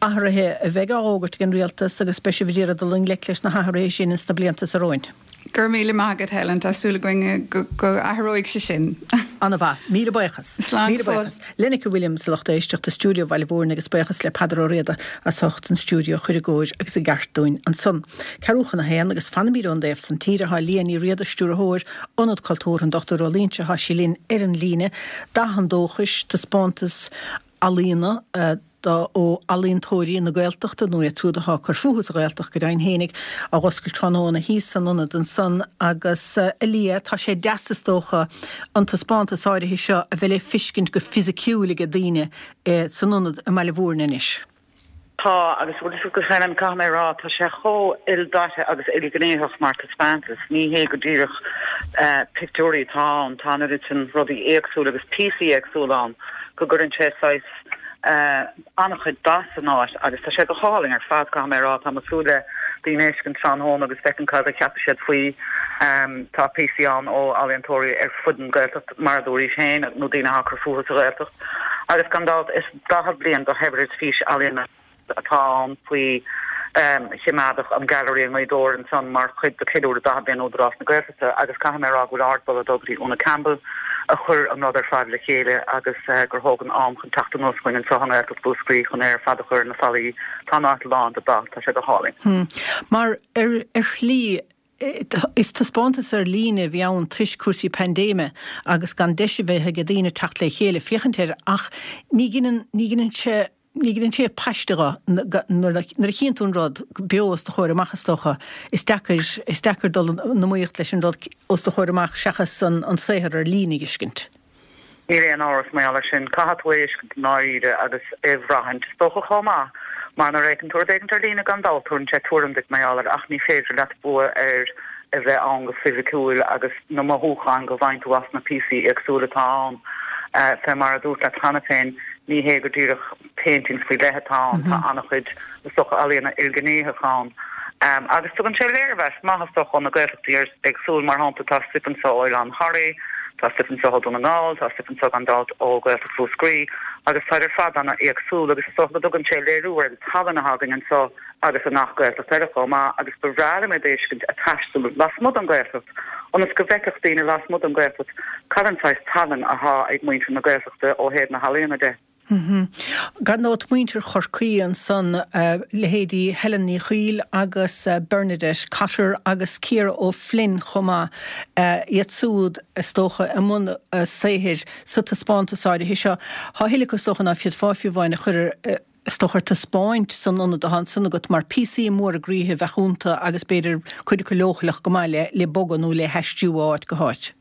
athruithe a bheidh á bhfógairt ag an Rialtas agus beidh sibh ag iarraidh dul i ngleic leis na hathruithe sin ins na blianta so romhainn. Go raibh míle maith agat Helen, tá súil againn go athróidh sé sin. Ana-mhaith. Míle buíochas. Slán Míle go fóill. buíochas. Lenneke Williams, a lucht éisteachta, stiúideo Bhaile Mhúirne agus buíochas le Peadar Ó Riada as ucht an stiúideo a chur i gcóir agus i gceart dúinn ansan. Ceathrú chun a haon agus fanaimid ón dtaobh san tíre. Tá Liadh Ní Riada, Stiúrthóir Ionad Cultúrtha an Dochtúir Ó Loingsigh, tá sí linn ar an líne. Dath an Dóchais, taispeántas ealaíona, ó ealaíontóirí na Gaeltachta, nó iad siúd atá ag cur fúthu sa Ghaeltacht go deimhin fhéinig, á oscailt tráthnóna thíos san ionad ansan agus, a Liadh, tá sé deas is dócha an taispeántas áirithe seo a bheith le fiscint go fisiciúil age daoine san ionad i mBaile Mhúirne anois. Tá, agus bhfuil fhios agat Helen, caithfidh mé a rá, tá sé chomh ildaite agus ilghnéitheach mar taispeántas. Ní hé go díreach pictiúirí atá ann, tá an oiread sin rudaí éagsúla agus píosaí éagsúla ann go gcuireann sé saghas an-chuid dath san áit agus tá sé go hálainn ar fad, caithfidh mé a rá. Tá mé ag súil le daoine a fheiscint tráthnóna agus feicint cad a cheapfaidh siad faoi. Tá píosaí ann ó ealaíontóirí ar fud an Ghaeltacht, mar a dúraís féin, nó daoine atá ag cur fúthu sa Ghaeltacht. Agus gan dabht is daichead bliain de shaibhreas fís ealaíona atá ann faoi choimeádach an Gallery i nGaoth Dobhair ansan mar chuid de cheiliúradh daichead bliain Údarás na Gaeltachta agus caithfidh mé a rá go bhfuil ardmholadh ag dul go dtí Úna Campbell a chuir an rud ar fad le chéile agus gur thóg an am chun teacht anuas chugainn anseo i nGaeltacht Mhúscraí chun é ar fad a chur ar na fallaí. Tá an áit lán de dath, tá sé go hálainn. Mar ar shlí is taispeántas ar líne a bhí ann toisc cúrsaí paindéime agus gan deis a bheith ag daoine teacht le chéile féachaint air ach ní ghineann, ní ghineann sé, ní ghineann sé paiste dho nuair a chíonn tú an rud beo os do chomhair amach is dócha is deacair, is deacair dul in iomaíocht leis an rud os do chomhair amach seachas an saothar ar líne a fheiscint. Níl aon amhras mar gheall air sin. Caithfidh tú é a fheiscint i ndáiríre agus é a bhraithint, is dócha chomh maith, mar nuair a fheiceann tú rud éigint ar líne gan dabht tabharann sé tuairim duit mar gheall air ach ní féidir leat bua ar a bheith ann go fisiciúil agus na mothúcháin go bhfaigheann tú as na píosaí éagsúla atá ann. Fé mar a dúirt leat cheana féin, ní hé go díreach paintings faoi leith atá ann, tá an-chuid is dócha ealaíona ilghnéitheach ann. Agus tugann sé léirmheas maith is dócha ó na Gaeltachtaí éagsúil, mar shampla tá stuif anseo ó Oileán Thoraí, tá stuif anseo ó Dhún na nGall, tá stuif anseo gan dabht ó Ghaeltacht Mhúscraí, agus táid ar fad an-éagsúil agus is dócha go dtugann sé léiriú ar an tallann atá againn anseo agus i ngach Gaeltacht eile chomh maith agus ba bhreá liom iad a fheiscint ag taisteal lasmuigh den Ghaeltacht ionas go bhfeicfeadh daoine lasmuigh den Ghaeltacht cad an saghas tallann athá ag muintir na Gaeltachta ó thaobh na healaíona de. Gan dabht muintir Chorcaí ansan, leithéidí Helen Ní Chuill agus Bernadette Cotter agus Ciara O'Flynn chomh maith, iad súd is dócha i mbun saothair sa taispeántas áirithe seo. Tá a thuilleadh acu is dócha ná féadfá fiú amháin a chur ar is dócha ar taispeáint san ionad atá ansan agat mar píosaí móra groíthe a bheadh iontu agus b'fhéidir cuid acu leochaileach go maith le bogadh nó le haistriú ó áit go háit.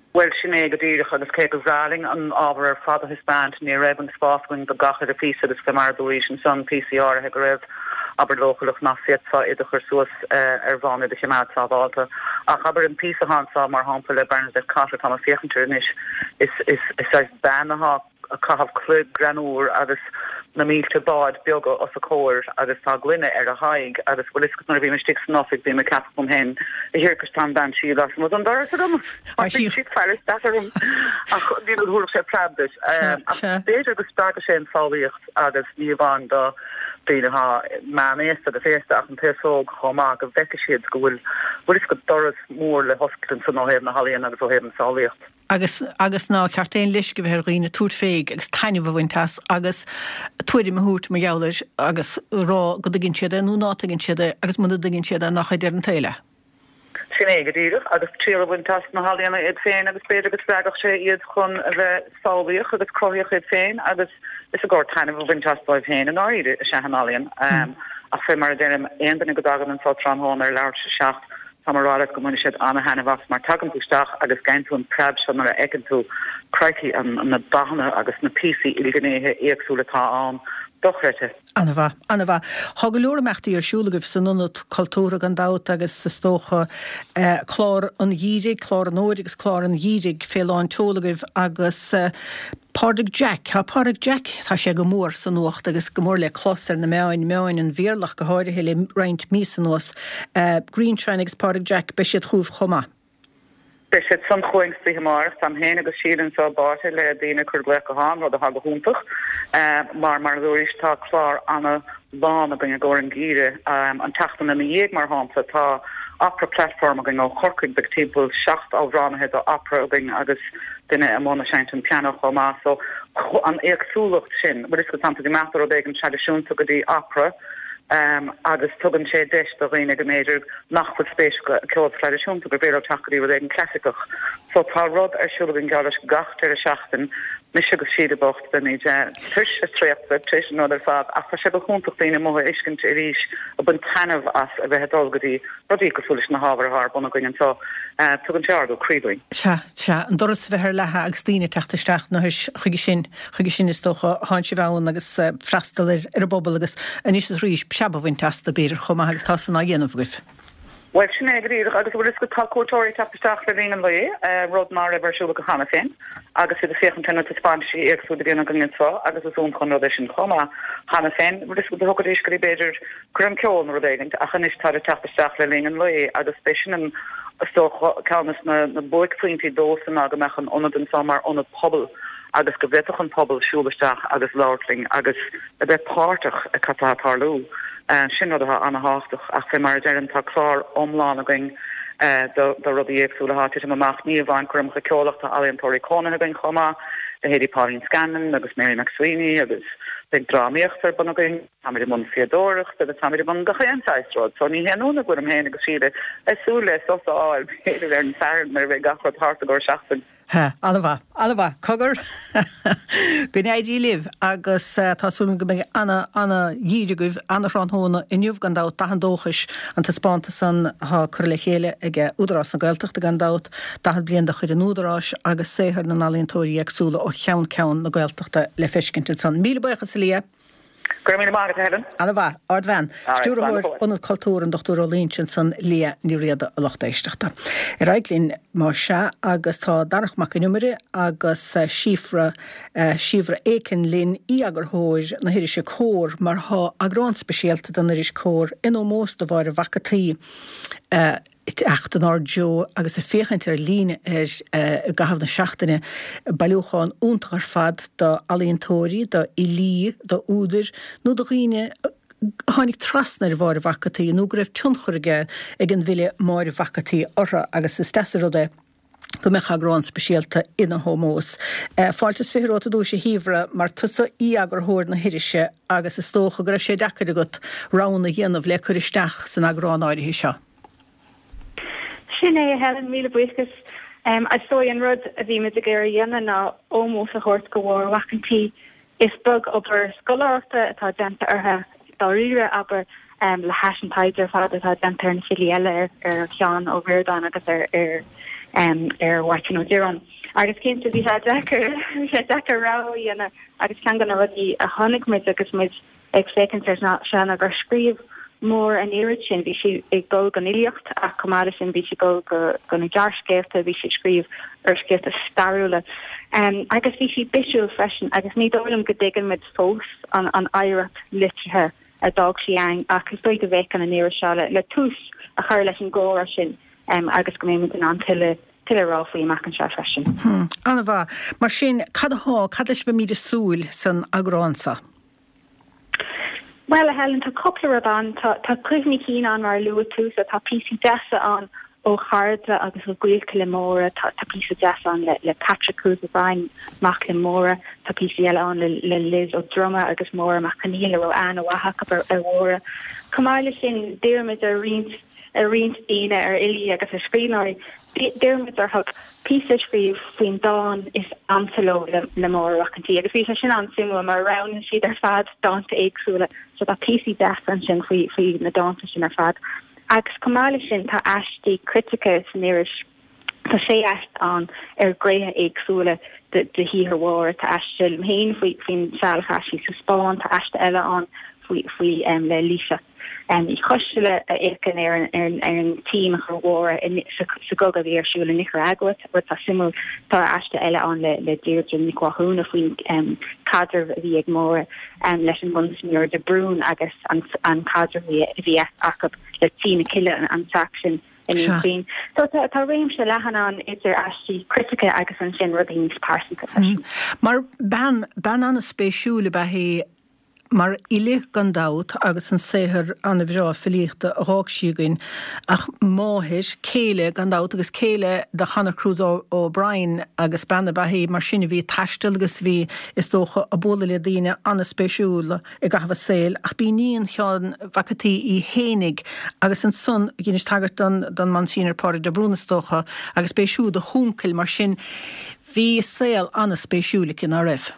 Bhuel, sin é go díreach, agus cé gur bhreá linn an ábhar ar fad a thaispeáint, ní raibh an spás againn do gach uile phíosa agus fé mar a dúraís ansan, píosaí áirithe go raibh, abair, leochaileach nach bhféadfá iad a chur suas ar bhonn iad a choimeád sábhálta. Ach abair an píosa atá anso, mar shampla, le Bernadette Cotter, táim ag féachaint air anois, is, is, is saghas bean atá ag caitheamh cloig greannmhar agus na mílte bád beaga os a comhair agus tá gloine ar a haghaidh agus bhfuil fhios agat nuair a bhím istigh san oifig bím ag ceapadh dom féin a thiarcais tá an bhean sí lasmuigh den doras agam mar bhí sí ag faire isteach orm ach ní thabharfadh sé preab duit ach b'fhéidir go spreagfadh sé an tsamhlaíocht agus ní amháin do daoine atá meánaosta agus aosta ach an t-aos óg chomh maith go bhfeicfidh siad go bhfuil bhfuil fhios agat doras mór le hoscailt ansan ó thaobh na healaíona agus ó thaobh an tsamhlaíocht. agus agus nár cheart aon leisce a bheith ar dhaoine tabhairt fé agus taitneamh a bhaint as agus tuairim a thabhairt mar gheall air agus rá go dtuigeann siad é nó ná tuigeann siad é agus muna dtuigeann siad é nach deireadh an tsaoil é. Sin é go díreach, agus triail a bhaint as na healaíona iad féin agus b'fhéidir go spreagfadh sé iad chun a bheith samhlaíoch agus cruthaíoch iad féin agus is i gcomhair taitneamh a bhaint as dóibh féin i ndáiríre is ea an ealaíon. Ach fé mar a deirim, aon duine go dtagann anso tráthnóna ar leathuair tar éis a seacht, Táim a rá leat go mbainfidh siad ana-thaitneamh as mar tagann tú isteach agus gheibheann tú an preab seo nuair a fheiceann tú, crikey, an na dathanna agus na píosaí ilghnéithe éagsúla atá ann. Dochreidte. Ana-mhaith, ana-mhaith. Tá go leor imeachtaí ar siúl agaibh san Ionad Cultúrtha gan dabht agus is dócha clár an gheimhridh, clár an fhómhair agus clár an gheimhridh fé lán tseoil agaibh agus Pádraig Jack, tá Pádraig Jack, tá sé go mór sa nuacht agus go mór le clos ar na meáin, meáin an Bhéarla ach go háirithe le roinnt míosa anuas. Greenshine agus Pádraig Jack, beidh siad chugaibh chomh maith. Beidh siad san chugainn sa oíche amárach, táim féin agus Síle anseo báite le daoine ag cur glaoch gutháin, rud atá go hiontach mar, mar a dúraís, tá clár ana lán againn i gcomhair an gheimhridh. An tseachtain ina dhiaidh, mar shampla, tá Opera Platform againn ó Chorcaigh, beidh timpeall seacht amhránaithe do opera againn agus duine i mbun ag seinnt an pianó chomh maith. So, an éagsúlacht sin, bhfuil fhios agat, tánn tú ag imeacht ó rud éigin traidisiúnta go dtí opera agus tugann sé deis do dhaoine go mb'fhéidir nach bhfuil spéis acu i gceol traidisiúnta gur féidir leo teacht go dtí rud éigin clasaiceach. So tá rud ar siúl againn geall leis gach deireadh seachtain, mise agus Síle bocht, beimid tuirseach traochta tar éis an rud ar fad ach tá sé go hiontach daoine amuigh a fheiscint arís ag baint taitneamh as a bheith ag dul go dtí rudaí cosúil leis na hábhair atá ar bun againn anseo. Tugann sé ardú croí dúinn. Sea, sea, an doras a bheith ar leathadh agus daoine ag teacht isteach nó chuige sin, chuige sin is dócha thánn sibh ann agus freastal ar ar an bpobal agus anois is arís preab a bhaint astu b'fhéidir chomh maith agus tá san á dhéanamh agaibh. Bhuel, sin é go díreach, agus bhfuil fhios agat, tá cuairteoirí ag teacht isteach le linn an lae, rud ná raibh ar siúl acu cheana féin, agus iad ag féachaint ar na taispeántaisí éagsúla a bhíonn againn anseo, agus is iontach an rud é sin chomh maith. Cheana féin, bhfuil fhios agat, thiocfaidís go dtí b'fhéidir coirm ceoil nó rud éigint, ach anois táid ag teacht isteach le linn an lae, agus b'é sin an, is dócha, ceann des na buaicphointí domhsa ná go mbeadh an ionad anseo mar ionad pobail agus go bhféadfadh an pobal siúl isteach agus labhairt linn agus a bheith páirteach i cad tá ag tarlú. Sin rud atá ana-thábhachtach ach fé mar a deirim tá clár iomlán againn do rudaí éagsúla atá ag titim amach, ní amháin coirmeacha ceoil ach tá ealaíontóirí cónaithe againn chomh maith, leithéidí Pauline Scanlon agus Mary McSweeney agus beidh drámaíocht ar bun againn, táimid i mbun fíodóireachta agus táimid i mbun gach aon saghas rud so ní haon ionadh go bhfuilim féin agus Síle ag súil le sos a fháil b'fhéidir ar an Satharn nuair a bheidh gach rud thart i gcomhair seachtain. Ha, an-mhaith, an-mhaith. Cogar! Go n-éirí libh agus tá súil agam go mbeidh ana, ana-gheimhreadh agaibh, ana-thráthnóna inniu gan dabht, Dath an Dóchais, an taispeántas san atá curtha le chéile ag Údarás na Gaeltachta gan dabht, daichead bliain de chuid an Údaráis agus saothar na n-ealaíontóirí éagsúla ó cheann ceann na Gaeltachta le feiscint ansan. Míle buíochas a Liadh! Go raibh míle maith agat, a Helen. Ana-mhaith. Ardbhean. Stiúrthóir Ionad Cultúir an Dochtúir Ó Loingsigh ansan, Liadh Ní Riada, a lucht éisteachta. Ar aghaidh linn, más ea, agus tá Darach Mac an Iomaire agus Síofra, Síobhra Aiken linn, aoi-eagarthóir na hirise Comhar, mar tá eagrán speisialta den iris Comhar in ómós do Mháire Mhac an tSaoi. Teacht inár dtreo agus ag féachaint ar líne air i gcaitheamh na seachtaine. Bailiúchán iontach ar fad d'ealaíontóirí, d'fhilí, d'údair nó do dhaoine a tháinig trasna ar Mháire Mhac an tSaoi nó go raibh tionchar aige ag an bhfile Máire Mhac an tSaoi orthu agus is deas an rud é go mbeadh eagrán speisialta ina hómós. Fáilte is fiche romhat ar dtúis a Shíobhra, mar tusa aoi-eagarthóir na hirise agus is dócha go raibh sé deacair agat roghanna a dhéanamh le cur isteach san eagrán áirithe seo. Sin é, a Helen, míle buíochas. Is dóigh an rud a bhí muid ag iarraidh a dhéanamh ná ómós a thabhairt go Mháire Mhac an tSaoi. Is beag obair scoláireachta atá déanta uirthi dáiríre, abair, le hais an taighde ar fad atá déanta ar na filí eile, ar Sheán Ó Ríordáin agus ar ar Mháirtín Ó Direáin. Agus cinnte bhí sé deacair, bhí sé deacair rogha a dhéanamh agus ceann de na rudaí a chonaic muid agus muid ag féachaint air seo ná gur scríobh Máire an oiread sin, bhí sí ag dul don fhilíocht ach chomh maith leis sin bhí sí ag dul go go na gearrscéalta, bhí sí ag scríobh úrscéalta stairiúla agus bhí sí bisiúil freisin agus ní dóigh liom go dtuigeann muid fós an an oidhreacht liteartha a d'fhág sí againn ach is dóigh go bhféachann an iris seo le le tús a chur leis an gcomhrá sin agus go mbeidh muid in ann tuilleadh tuilleadh a rá faoi amach anseo freisin. An-mhaith. Mar sin, cad atá, cad leis a mbeimid ag súil san eagrán seo? Bhuel, a Helen, tá cúpla rud ann. Tá, tá cuimhní cinn ann mar a luaigh tú, so tá píosaí deasa ann ó chairde agus ó ghaolta le Máire, tá, tá píosa deas ann le, le Patrick Cruise O'Brien, mac le Máire, tá píosaí eile ann le, le Liz Ó Droma agus Máire Mac Conghail a raibh aithne mhaith acu ar, ar Mháire. Chomh maith leis sin, d'iarr muid ar roinnt, ar roinnt daoine, ar fhilí agus ar scríbhneoirí, D'iarr muid orthu píosa a scríobh faoin dán is ansa leo le Máire Mhac an tSaoi agus bhí sé sin an-suimiúil mar roghnaigh siad ar fad dánta éagsúla so tá píosaí deasa ansin faoi faoi na dánta sin ar fad. Agus chomh maith leis sin tá aistí critice san iris, tá sé aiste ann ar ghnéithe éagsúla de de shaothar Mháire, tá aiste liom féin faoi faoin seal a chaith sí sa Spáinn, tá aiste eile ann faoi faoi le Laoighseach Ní Choisteala a fhéachann ar an ar an tsuim a chuir Máire sa chogadh a bhí ar siúl i Nicearagua, rud atá suimiúil. Tá aiste eile ann le le Deirdre Nic Mhathúna faoin caidreamh a bhí ag Máire leis an Monsignor de Brún agus an an caidreamh a bhí acu le Tí na Cille, an teach sin i nDún Chaoin. So tá réimse leathan ann idir aistí critice agus ansin rudaí níos pearsanta freisin. Mar bean, bean an-spéisiúil ab ea í Mar fhile gan dabht agus an saothar an-bhreá filíochta a dh'fhág sí againn, ach máthair, céile gan dabht agus céile do Chonor Cruise O'Brien agus bean ab ea í mar sin a bhí ag taisteal agus a bhí, is dócha, ag bualadh le daoine an-spéisiúla i gcaitheamh a saoil ach b'í iníon Sheáin Mhac an tSaoi í fhéinig agus ansan dheinis tagairt don don Monsignor Pádraig de Brún is dócha agus b'é siúd a huncail mar sin bhí saol an-spéisiúil aici, ná raibh?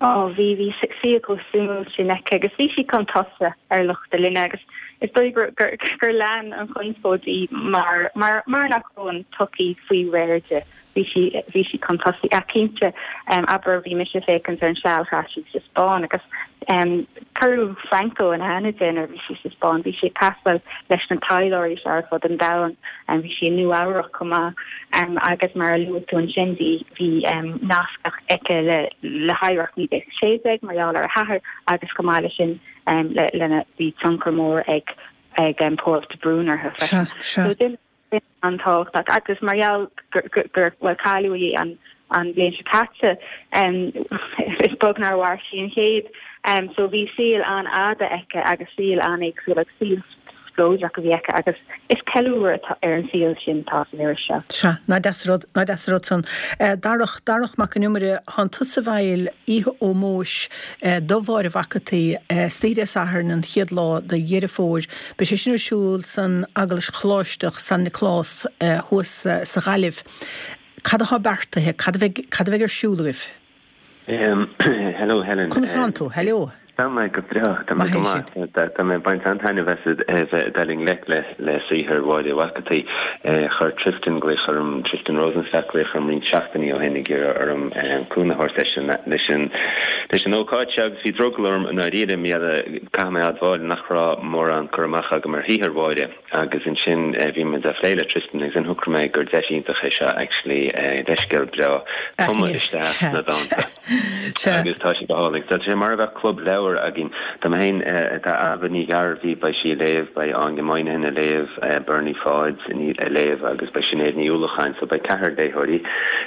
Ó, bhí, bhí saol chomh suimiúil sin aici agus bhí sí chun tosaigh ar lucht a linne agus is dóigh gur, gur, gur lean an chonspóid í mar, mar, mar nach raibh an tsochaí faoi réir di. Bhí sí, bhí sí chun tosaigh. Ach cinnte, abair, bhí mise ag féachaint ar an seal a chaith sí sa Spáinn agus cuireadh Franco in aithne di nuair a bhí sí sa Spáinn. Bhí sí ag taisteal leis na taidhleoirí seo ar fud an domhain. Bhí sí i Nua Eabhrac chomh maith agus mar a luaigh tú ansin bhí bhí nasc aici le le hoidhreacht naoi déag sé déag mar gheall ar a hathair agus chomh maith leis sin le lena bhí tionchar mór ag ag Pádraig de Brún uirthi freisin. So duine an-tábhachtach agus mar gheall gur gur bhuel cailleadh í an an bhliain seo caite is beag nár mhair sí an céad so bhí saol an-fhada aici agus saol an-éagsúil agus saol spleodrach a bhí aici agus is ceiliúradh ar an saol sin atá san iris seo. Sea, nach deas an rud, nach deas an rud san. Darach, Darach Mac an Iomaire, thánn tusa i bhfeighil oíche ómóis do Mháire Mhac an tSaoi, istoíche Dé Sathairn an chéad lá de Dheireadh Fómhair. Beidh sé sin ar siúl san Eaglais Choláisteach San Nioclás thuas sa Ghaillimh. Cad atá beartaithe? Cad a bheidh, cad a bheidh ar siúl agaibh? Hello Helen. Conas tánn tú? Hello. Tá mé go breá, tá mé go maith. Tá mé ag baint an-taitneamh as a bheith ag dul i ngleic le le saothar Mháire Mhac an tSaoi. Chuir Tristan glaoch orm, Tristan Rosenstock glaoch orm roinnt seachtainí ó shin ag iarraidh orm cúnamh a thabhairt leis an leis an leis an ócáid seo agus bhí drogall orm i ndáiríre, mar caithfidh mé a admháil nach raibh mórán cur amach agam ar shaothar Mháire. Agus ansin bhí muid á phlé le Tristan agus ansin shocraigh mé gur deis iontach é seo actually leithscéal breá tumadh isteach sna dánta. Agus tá sé go hálainn. Tá sé mar a bheadh club leabhar againn. Tá mé féin, tá Ailbhe Ní Ghearbhuigh, beidh sí ag léamh, beidh Áine Moynihan ag léamh, Bernie Pháid ag léamh agus beidh Sinéad Ní Uallacháin. So beidh ceathrar léitheoirí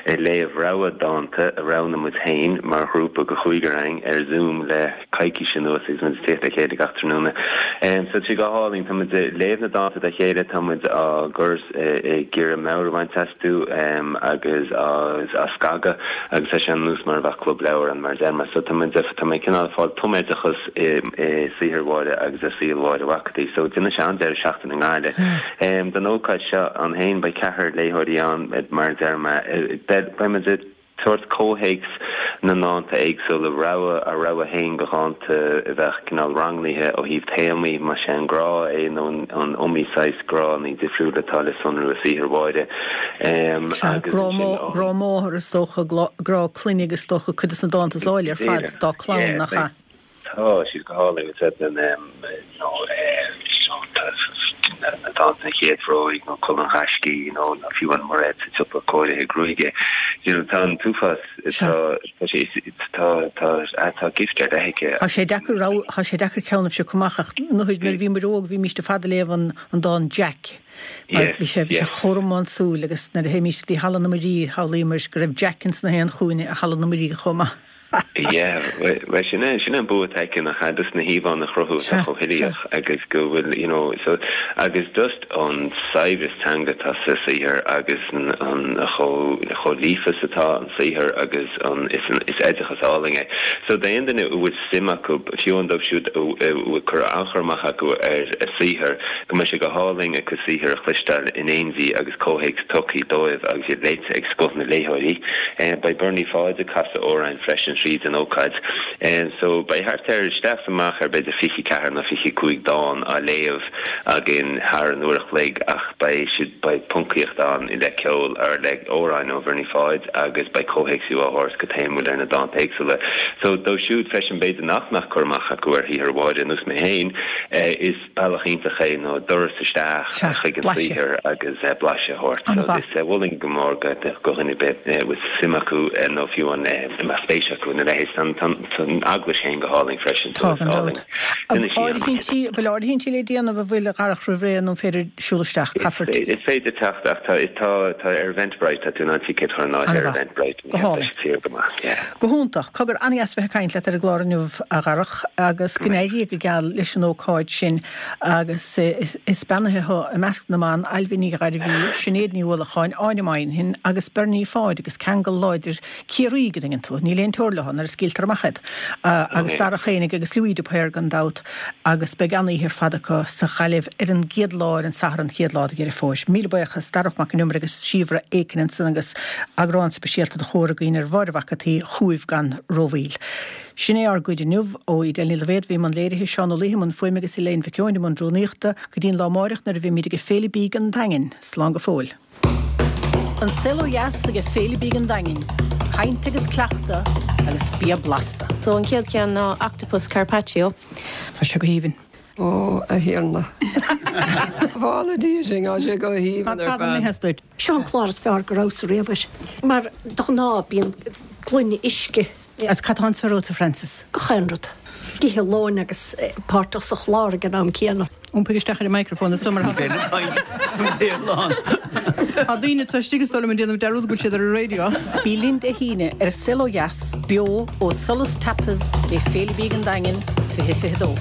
ag léamh rogha dánta a roghnaigh muid féin mar ghrúpa de chúigear againn ar Zoom le coicís anuas agus muid ag tíocht le chéile gach tráthnóna. So tá sé go hálainn. Tá muid ag léamh na dánta dá chéile, tá muid á gcur ag iarraidh meabhair a bhaint astu agus á scagadh agus tá sé ar nós mar a bheadh club leabhar ann mar a deir mé. So tá muid, tá mé cineál ag fáil tumoideachas i saothar Mháire agus i saol Mháire Mhac an tSaoi. So déanfaidh sé an-deireadh seachtaine i nGaillimh. Don ócáid seo ann féin beidh ceathrar léitheoirí ann mar a deir mé. Beidh muid ag. tabhairt comhthéacs na ndánta éagsúla, rogha, ár rogha féin de dhánta a bheadh cineál rangnaithe ó thaobh téamaí, más é an grá é nó an iomaí saghas gránna difriúla atá le sonrú i saothar Mháire. Sea, Agus grá ansin ó. grá máthar is dócha, grá clainne agus is dócha cuid de na dánta is áille ar fad dá clann, nach ea? Tá siad go hálainn, is ea, you know, na dánta An Chéad Bhróig nó Culaith an Ghaiscígh nó fiú an Mairéad sa tSiopa Cóirithe Gruaige. You know, tá an t-uafás, tá, tá sé, tá, tá, tá gift ar leith aici. Tá sé deacair rogha, tá sé deacair ceann a phiocadh amach ach nuair a bhí muid óg bhímíst ar fad ag léamh an, an dán Jack mar bhí sé, bhí sé chomh rómánsúil agus nuair a théimíst go dtí Halla na Muirí shamhlaíomar go raibh Jack ins na haon chúinne i Halla na Muirí chomh maith. Yeah, bhuel sin é, sin é an bua atá aici nach ea, just na híomhánna a chruthú atá chomh huilíoch agus go bhfuil, you know, so agus just an saibhreas teanga atá sa saothar agus an, an chomh, chomh líofa is atá an saothar agus an, is an, is oideachas álainn é. So d'aon duine a bhfuil suim acu, fiú amháin dóibh siúd a bhfuil cur, an-chur amach acu ar a saothar, go mbeidh sé go hálainn a cuid saothair a chloisteáil in éindí agus comhthéacs tugtha dóibh agus iad léite ag scoth na léitheoirí. Beidh Bernie Pháid ag casadh amhráin freisin tríd an ócáid. So beidh thart ar, isteach is amach ar b'fhéidir fiche ceathair nó fiche cúig dán á léamh againn thar an uair a chloig ach beidh siad, beidh poncaíocht ann le ceol or le amhráin ó Bhernie Pháid agus beidh comhthéacsú á thabhairt go téamúil ar na dánta éagsúla. So dóibh siúd freisin b'fhéidir nach mbeadh cur amach acu ar shaothar Mháire, ar nós mé féin, is bealach iontach é nó doras isteach Sea, chuig an blaiseadh. saothar agus blaiseadh a thabhairt. So An-mhaith. is mholfainn go mór go dhuine ar bith a bhfuil suim acu nó fiú an a mbeadh spéis acu ina leithéid. Tá tá tá an eaglais féin go hálainn freisin so Tá, is gan álainn. dabht. Duine sí an. Áirithintí, bhfuil áirithintí le déanamh an bhfuil a Dharach roimh ré nó an féidir siúl isteach? Is Caithfear féidir, is féidir teacht ach tá tá tá ar Eventbrite tá tú in ann ticéad a chur in áirithe ar An-mhaith. Eventbrite Go yeah, tá hálainn. sé saor go maith yeah. Go hiontach. Cogar, an-dheas bheith ag caint leat ar an gclár inniu, a Dharach, agus go n-éirí go geal leis an ócáid sin agus is is beannaithe thú i measc na mban, Ailbhe Ní Ghairbhí, Sinéad Ní Uallacháin, Áine Moynihan agus Bernie Pháid agus ceangal láidir Ciarraí go dtuigeann tú. Níl aon teora leo nuair a scaoiltear amach iad. Agus Darach Fhéinig agus Louis de Paor gan dabht agus beidh an-oíche ar fad acu sa Ghaillimh ar an gcéad lá ar an Satharn an chéad lá de Dheireadh Fómhair. Míle buíochas Darach Mac Con Iomaire agus Síobhra Aiken ansan agus eagrán speisialta de Chomhar againn ar Mháire Mhac an tSaoi chugaibh gan rómhoill. Sin é ár gcuid inniu ó Edel Ní Loibhéad a bhí i mbun léirithe, Seán Ó Laoithe i mbun fuaime agus Elaine Mhic Eoin i mbun rúnaíochta go dtí an lá amáireach nuair a bheimid ag Féile Bídh an Daingin. Slán go fóill. An Saol Ó Dheas ag Féile Bídh an Daingin, caint agus cleachtadh agus bia blasta. So an chéad cheann ná octopus carpaccio. Tá sé go haoibhinn. Ó a Thiarna. Bhála dí sin á sé go haoibhinn ar fad. Seo an clár is fearr go rabhas riamh air. Mar de ghnáth bíonn gloine uisce. Agus cad tá anso romhat, a Frances? Gach aon rud. Ag ithe lóin agus páirteach sa chlár ag an am céanna. Iompaigh isteach ar an microphone is mar Tá daoine sa istigh is dóigh liom ag déanamh dearúd go bhfuil siad ar an raidió. Bí linn Dé hAoine ar An Saol Ó Dheas, beo ó Solas Tapas le Féile Bídh an Daingin, fiche fiche dó.